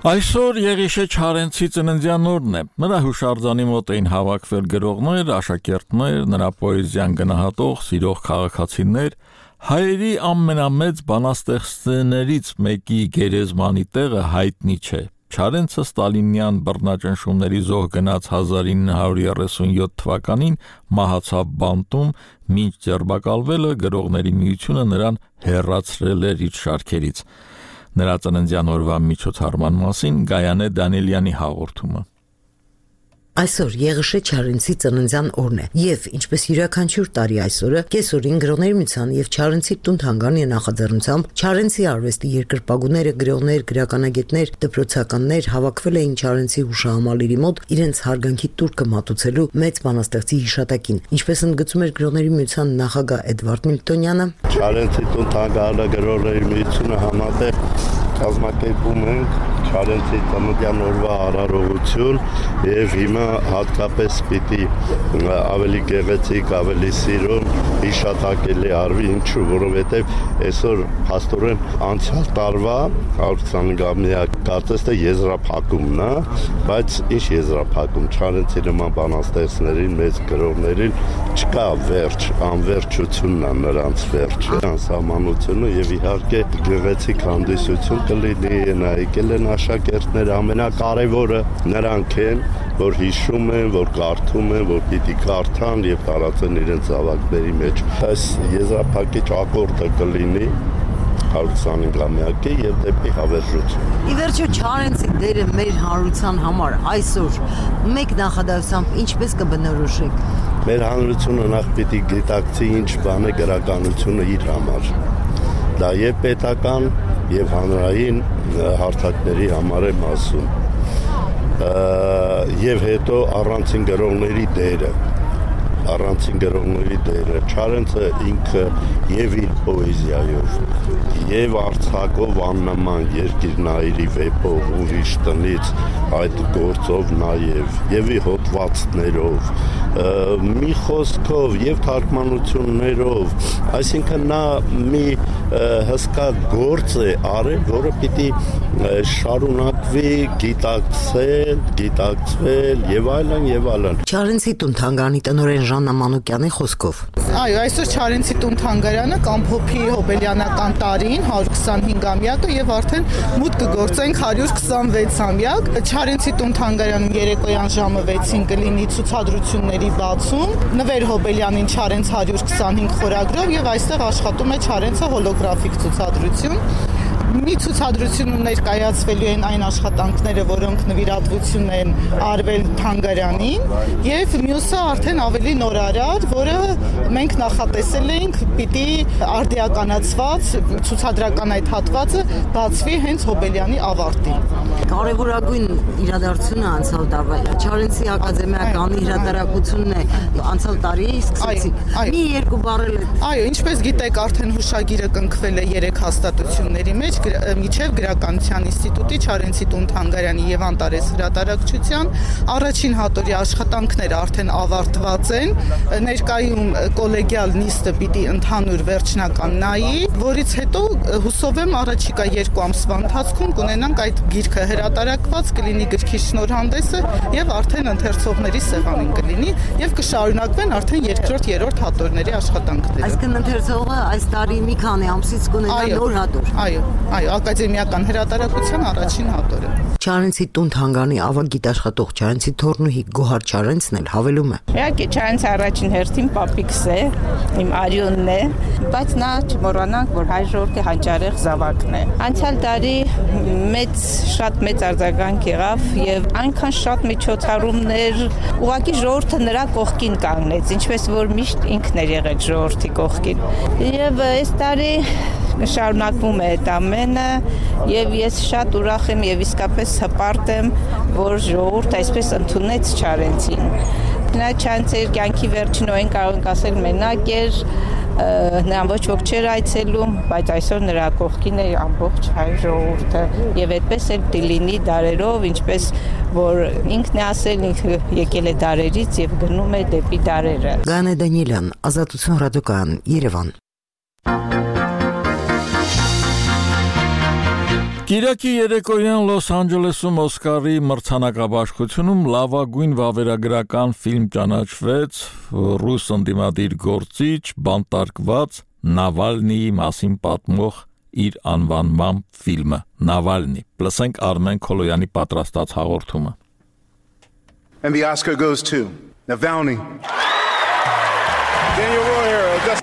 Այսօր Եղիշե Չարենցի ծննդյան օրն է։ Նրա հուշարձանի մոտ էին հավաքվել գրողներ, աշակերտներ, նրա պոեզիան գնահատող, սիրող քաղաքացիներ։ Հայերի ամենամեծ բանաստեղծներից մեկի գերեզմանի տեղը հայտնի չէ։ Չարենցը ստալինյան բռնաճնշումների զոհ գնաց հազար ինը հարյուր երեսունյոթ թվականին, մահացավ բանտում, մինչ ձերբակալվելը գրողների միությունը նրան հեռացրել էր իր շարքերից։ Նրա ծննդյան օրվա միջոցառման մասին Գայանե Դանիելյանի հաղորդումը։ Այսօր Եղիշե Չարենցի ծննդյան օրն է, եւ ինչպես յուրաքանչյուր տարի այսօրը կեսօրին գրողների միության եւ Չարենցի տուն-թանգարանի նախաձեռնությամբ Չարենցի արվեստի երկրպագուները, գրողներ, գրականագետներ, դպրոցականներ հավաքվել էին Չարենցի հուշահամալիրի մոտ իրենց հարգանքի տուրքը մատուցելու մեծ բանաստեղծի հիշատակին, ինչպես ընդգծում էր գրողների միության նախագահ Էդվարդ Միլտոնյանը։ Չարենցի տուն-թանգարանը գրողների միությունը համատեղ կազմակերպում ենք Չարենցի ծննդյան օրվա արարողություն եւ հիմա հատկապես պիտի ավելի գեղեցիկ, ավելի սիրուն հիշատակելի արվի, ինչու, որովհետեւ այսօր փաստորեն անցյալ տարվա հարյուր քսանհինգամյա կարծես թե եզրափակումն է, բայց ինչ եզրափակում, Չարենցի նման բանաստեղծներին, մեծ գրողներին չկա վերջ, անվերջությունն է նրանց վերջը, անսահմանությունը եւ իհարկե գեղեցիկ հանդիսություն կլինի, նայեկել են աշակերտները, ամենակարևորը նրանք են, որ հիշում են, որ կարդում են, որ պիտի կարդան եւ տարածեն իրենց ավագների մեջ։ Այս եզրափակիչ ակորդը կլինի հարյուր քսանհինգամյակի եւ դեպի հավերժություն։ Ի վերջո Չարենցի դերը մեր հանրության համար այսօր մեկ նախադասությամբ ինչպես կբնորոշեք։ Մեր հանրությունը նախ պիտի գիտակցի ինչ բան է գրականությունը իր համար։ Դա եւ պետական եւ հանրային հարթակների համար եմ ասում։ Եվ հետո առանցին գրողների դերը, առանցին գրողների դերը, Չարենցը ինքը եւ իր պոեզիայով, եւ արձակով աննման երկիրնայիրի վեպով ուրիշ տնից այդ գործով նաեւ եւ ի հոդվածներով, մի խոսքով եւ թարգմանություններով, այսինքն նա մի հսկա գործ է արել, որը պիտի շարունակվի գիտակցել, գիտակցվել եւ այլն եւ այլն։ Չարենցի տուն-թանգարանի տնօրեն Ժաննա Մանուկյանի խոսքով։ Այո, այսօր Չարենցի տուն-թանգարանը կամփոփի Հոբելյանական տարին հարյուր քսանհինգամյակը եւ արդեն մուտք կգործենք հարյուր քսանվեցամյակ։ Չարենցի տուն-թանգարանում երեկոյան ժամը վեցին կլինի ցուցադրությունների բացում։ Նվեր Հոբելյանին Չարենց հարյուր քսանհինգ խորագրով եւ այստեղ աշխատում է Չարենցը հոլոգրաֆիկ ցուցադրություն։ մի ցուցադրությունում ներկայացվելու են այն աշխատանքները, որոնք նվիրատվություն են արվել Թանգարանին, եւ մյուսը արդեն ավելի նորարար, որը մենք նախատեսել ենք պիտի արդիականացված ցուցադրական այդ հատվածը բացվի հենց Հոբելյանի ավարտին։ Կարևորագույն իրադարձությունը անցյալ տարվա Չարենցի ակադեմիականի հրատարակությունն է անցյալ տարի սկսեցիք։ Մի երկու բառել է։ Այո, ինչպես գիտեք, արդեն հուշագիրը կնքվել է երեք հաստատությունների մեջ, միջև Գրականության ինստիտուտի, Չարենցի տուն Թանգարանի եւ Անտարես հրատարակչության առաջին հատորի աշխատանքները արդեն ավարտված են։ Ներկայում կոլեգիալ նիստը պիտի ընդհանուր վերջնական նայի, որից հետո հուսով եմ առաջիկա երկու ամսվա ընթացքում կունենանք այդ գիրքը հրատարակված, կլինի գրքի շնորհանդեսը եւ արդեն ընթերցողների սեղանին կլինի եւ կշարունակվեն արդեն երկրորդ, երրորդ հատորների աշխատանքները։ Այսինքն ընթերցողը այս տարի մի քանի ամսից կունենա նոր հատոր։ Այո, այո, ակադեմիական հրատարակության առաջին հատորը։ Չարենցի տուն Թանգարանի ավագ գիտաշխատող Չարենցի թորնուհի Գոհար Չարենցն էլ հավելում է։ Իհարկե Չարենցի առաջին հերթին պապիկս է, իմ արյունն է, բայց նա չմոռանանք, որ հայ ժողովրդի հանճարեղ զավակն է։ Անցյալ տարի մեծ շատ մեծ արձագանք եղավ եւ այնքան շատ միջոցառումներ, ուղղակի ժողովուրդը նրա կողքին կանգնեց, ինչպես որ միշտ ինքն էր եղել ժողովրդի կողքին։ Եվ այս տարի շարունակվում է այդ ամենը եւ ես շատ ուրախ եմ եւ իսկապես հպարտ եմ, որ ժողովուրդը այսպես ընդունեց Չարենցին։ Նա Չարենցի կյանքի վերջին օրեն կարող ենք ասել մենակ էր, նրան ոչ ոք չէր այցելում, բայց այսօր նրա կողքին է ամբողջ հայ ժողովուրդը եւ այդպես էլ դիլինի դարերով, ինչպես որ ինքն է ասել, ինքը եկել է դարերից եւ գնում է դեպի դարերը։ Գանե Դանիելյան, Ազատություն ռադիոկայան, Երևան։ Կիրակի երեկոյան Լոս Անջելեսում Օսկարի մրցանակաբաշխությունում լավագույն վավերագրական ֆիլմ ճանաչվեց ռուս ընդդիմադիր գործիչ բանտարկված Նավալնիի մասին պատմող իր անվանման ֆիլմը Նավալնի։ Լսենք Արմեն Քոլոյանի պատրաստած հաղորդումը։ And the Oscar goes to Navalny.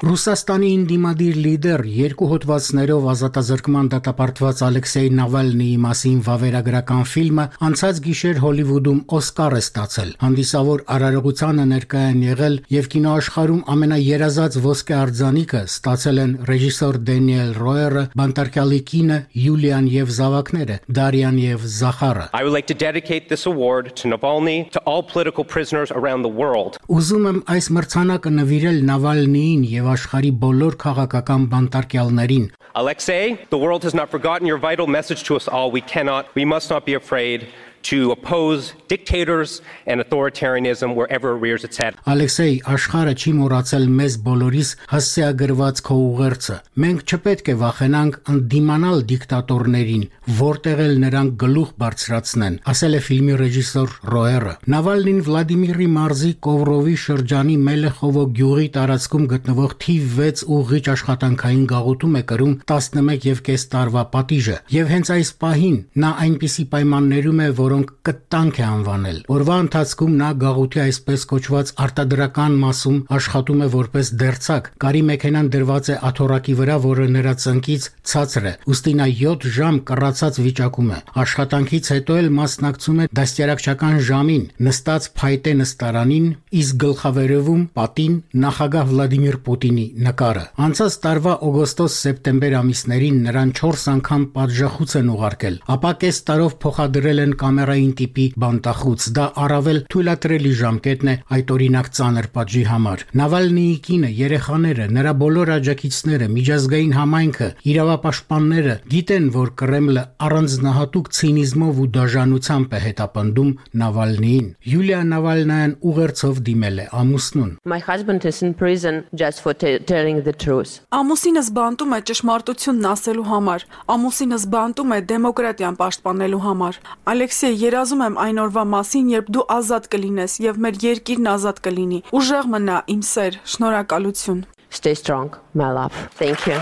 Ռուսաստանի ինդիմադիր լիդեր երկու հոդվածներով ազատազրկման դատապարտված Ալեքսեյ Նավալնիի մասին վավերագրական ֆիլմը անցած գիշեր Հոլիվուդում Օսկար է ստացել։ Հանդիսավոր արարողությանը ներկայ են եղել եւ կինոաշխարհում ամենաերազած ոսկե արձանիկը ստացել են ռեժիսոր Դենիել Ռոերը, բանտարկյալի կինը Յուլիան եւ զավակները Դարիան եւ Զախարը։ I would like to dedicate this award to Navalny, to all political prisoners around the world. Ուզում եմ այս մրցանակը նվիրել Նավալնիին եւ աշխարհի բոլոր քաղաքական բանտարկյալներին։ Alexei, the world has not forgotten your vital message to us all. We cannot, we must not be afraid to oppose dictators and authoritarianism wherever it rears its head. Ալեքսեյ, աշխարհը չի մոռացել մեզ բոլորիս հասցեագրված քո ուղերձը։ Մենք չպետք է վախենանք ընդդիմանալ դիկտատորներին, որտեղ էլ նրանք գլուխ բարձրացնեն, ասել է ֆիլմի ռեժիսոր Ռոերը։ Նավալնին Վլադիմիրի մարզի Կովրովի շրջանի Մելեխովո գյուղի տարածքում գտնվող թիվ վեց ուղղիչ աշխատանքային գաղութում է կրում տասնմեկ եւ կես տարվա պատիժը, եւ հենց այս պահին նա այնպիսի պայմաններում է, որ կտանք է անվանել։ Օրվա ընթացքում նա գաղութի այսպես կոչված արտադրական մասում աշխատում է որպես դերձակ։ Կարի մեքենան դրված է աթոռակի վրա, որը նրա ծնկից ցածր է։ Ուստի նա յոթ ժամ կռացած վիճակում է։ Աշխատանքից հետո էլ մասնակցում է դաստիարակչական ժամին, նստած փայտե նստարանին, իսկ գլխավերևում պատին նախագահ Վլադիմիր Պուտինի նկարը։ Անցած տարվա օգոստոս-սեպտեմբեր ամիսներին նրան չորս անգամ պատժախուց են ուղարկել, ապա կես տարով փոխադրել են կամերային տիպի բանտախուց։ Դա առավել թույլատրելի ժամկետն է այդ օրինակ ծանր պատժի համար։ Նավալնիի կինը, երեխաները, նրա բոլոր աջակիցները, միջազգային համայնքը, իրավապաշտպանները գիտեն, որ Կրեմլը առանձնահատուկ ցինիզմով ու դաժանությամբ է հետապնդում Նավալնիին։ Յուլիա Նավալնայան ուղերձով դիմել է ամուսնուն։ My husband is in prison just for telling the truth. Ամուսինս բանտում է ճշմարտությունն ասելու համար։ Ամուսինս բանտում է դեմոկրատիան պաշտպանելու համար։ Ալեքսեյ, երազում եմ այն օրվա մասին, երբ դու ազատ կլինես եւ մեր երկիրն ազատ կլինի։ Ուժեղ մնա, իմ սեր, շնորհակալություն։ Stay strong, my love. Thank you.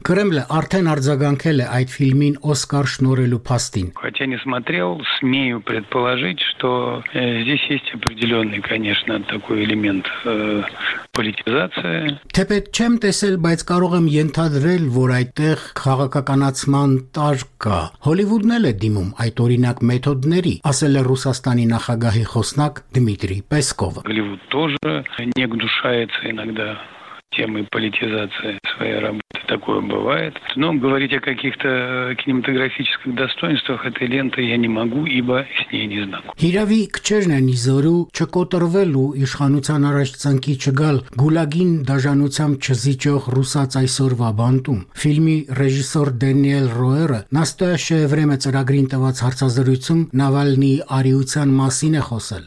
Կրեմլը արդեն արձագանքել է այդ ֆիլմին Օսկար շնորհելու փաստին։ Хотя не смотрел, смею предположить, что здесь есть определенный, конечно, такой элемент политизации. Թեպետ չեմ տեսել, բայց կարող եմ ենթադրել, որ այդտեղ քաղաքականացման տար կա։ Հոլիվուդն էլ է դիմում այդ օրինակ մեթոդների, ասել է Ռուսաստանի նախագահի խոսնակ Դմիտրի Պեսկովը։ Голливуд тоже не гнушается иногда темой политизации своей работы. Такое бывает. Но говорить о каких-то кинематографических достоинствах этой ленты я не могу, ибо с ней не знаком. Հիրավի քչերն են իզորու չկոտրվել ու իշխանության առաջ ծնկի չգալ գուլագին դաժանությամբ չզիջող ռուսաց այսօրվա բանտում։ Ֆիլմի ռեժիսոր Դենիել Ռոերը «Настоящее время» ծրագրին տված հարցազրույցում Նավալնիի արիության մասին է խոսել։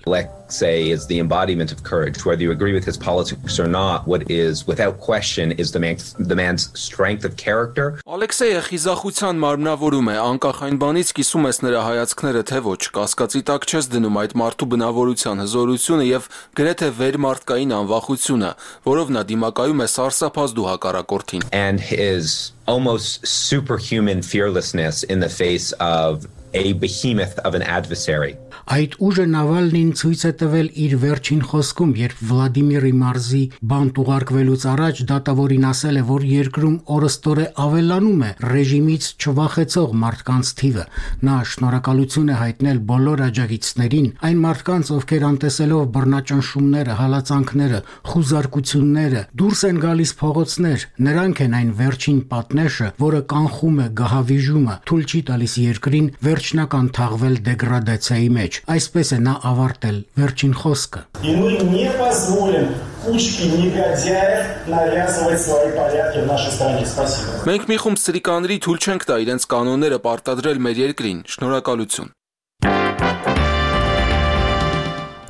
Say is the embodiment of courage. Whether you agree with his politics or not, what is without question is the man's, the man's strength of character. Ալեքսեյը խիզախության մարմնավորում է, անկախ այն բանից կիսում ես նրա հայացքները թե ոչ, կասկածի տակ չես դնում այդ մարդու բնավորության հզորությունը եւ գրեթե վերմարտկային անվախությունը, որով նա դիմակայում է սարսափազդու հակառակորդին. And his almost superhuman fearlessness in the face of a behemoth of an adversary. Այդ ուժը Նավալնին ցույց է տվել իր վերջին խոսքում, երբ Վլադիմիրի մարզի բանտ ուղարկվելուց առաջ դատավորին ասել է, որ երկրում օրըստօրե ավելանում է ռեժիմից չվախեցող մարդկանց թիվը։ Նա շնորհակալություն է հայտնել բոլոր աջակիցներին, այն մարդկանց, ովքեր անտեսելով բռնաճնշումները, հալածանքները, խուզարկությունները, դուրս են գալիս փողոցներ, նրանք են այն վերջին պատնեշը, որը կանխում է գահավիժումը, թույլ չի տալիս երկրին վերջնական թաղվել դեգրադացիայի մեջ։ Այսպես է նա ավարտել վերջին խոսքը։ И мы не позволим кучке негодяев навязывать свои порядки в нашей стране. Спасибо. Մենք մի խումբ սրիկաների թույլ չենք տա իրենց կանոնները պարտադրել մեր երկրին։ Շնորհակալություն։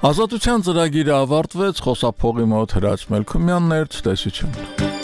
Ազատության ծրագիրը ավարտվեց, խոսափողի մոտ Հրաչ Մելքումյանն էր, ցտեսություն։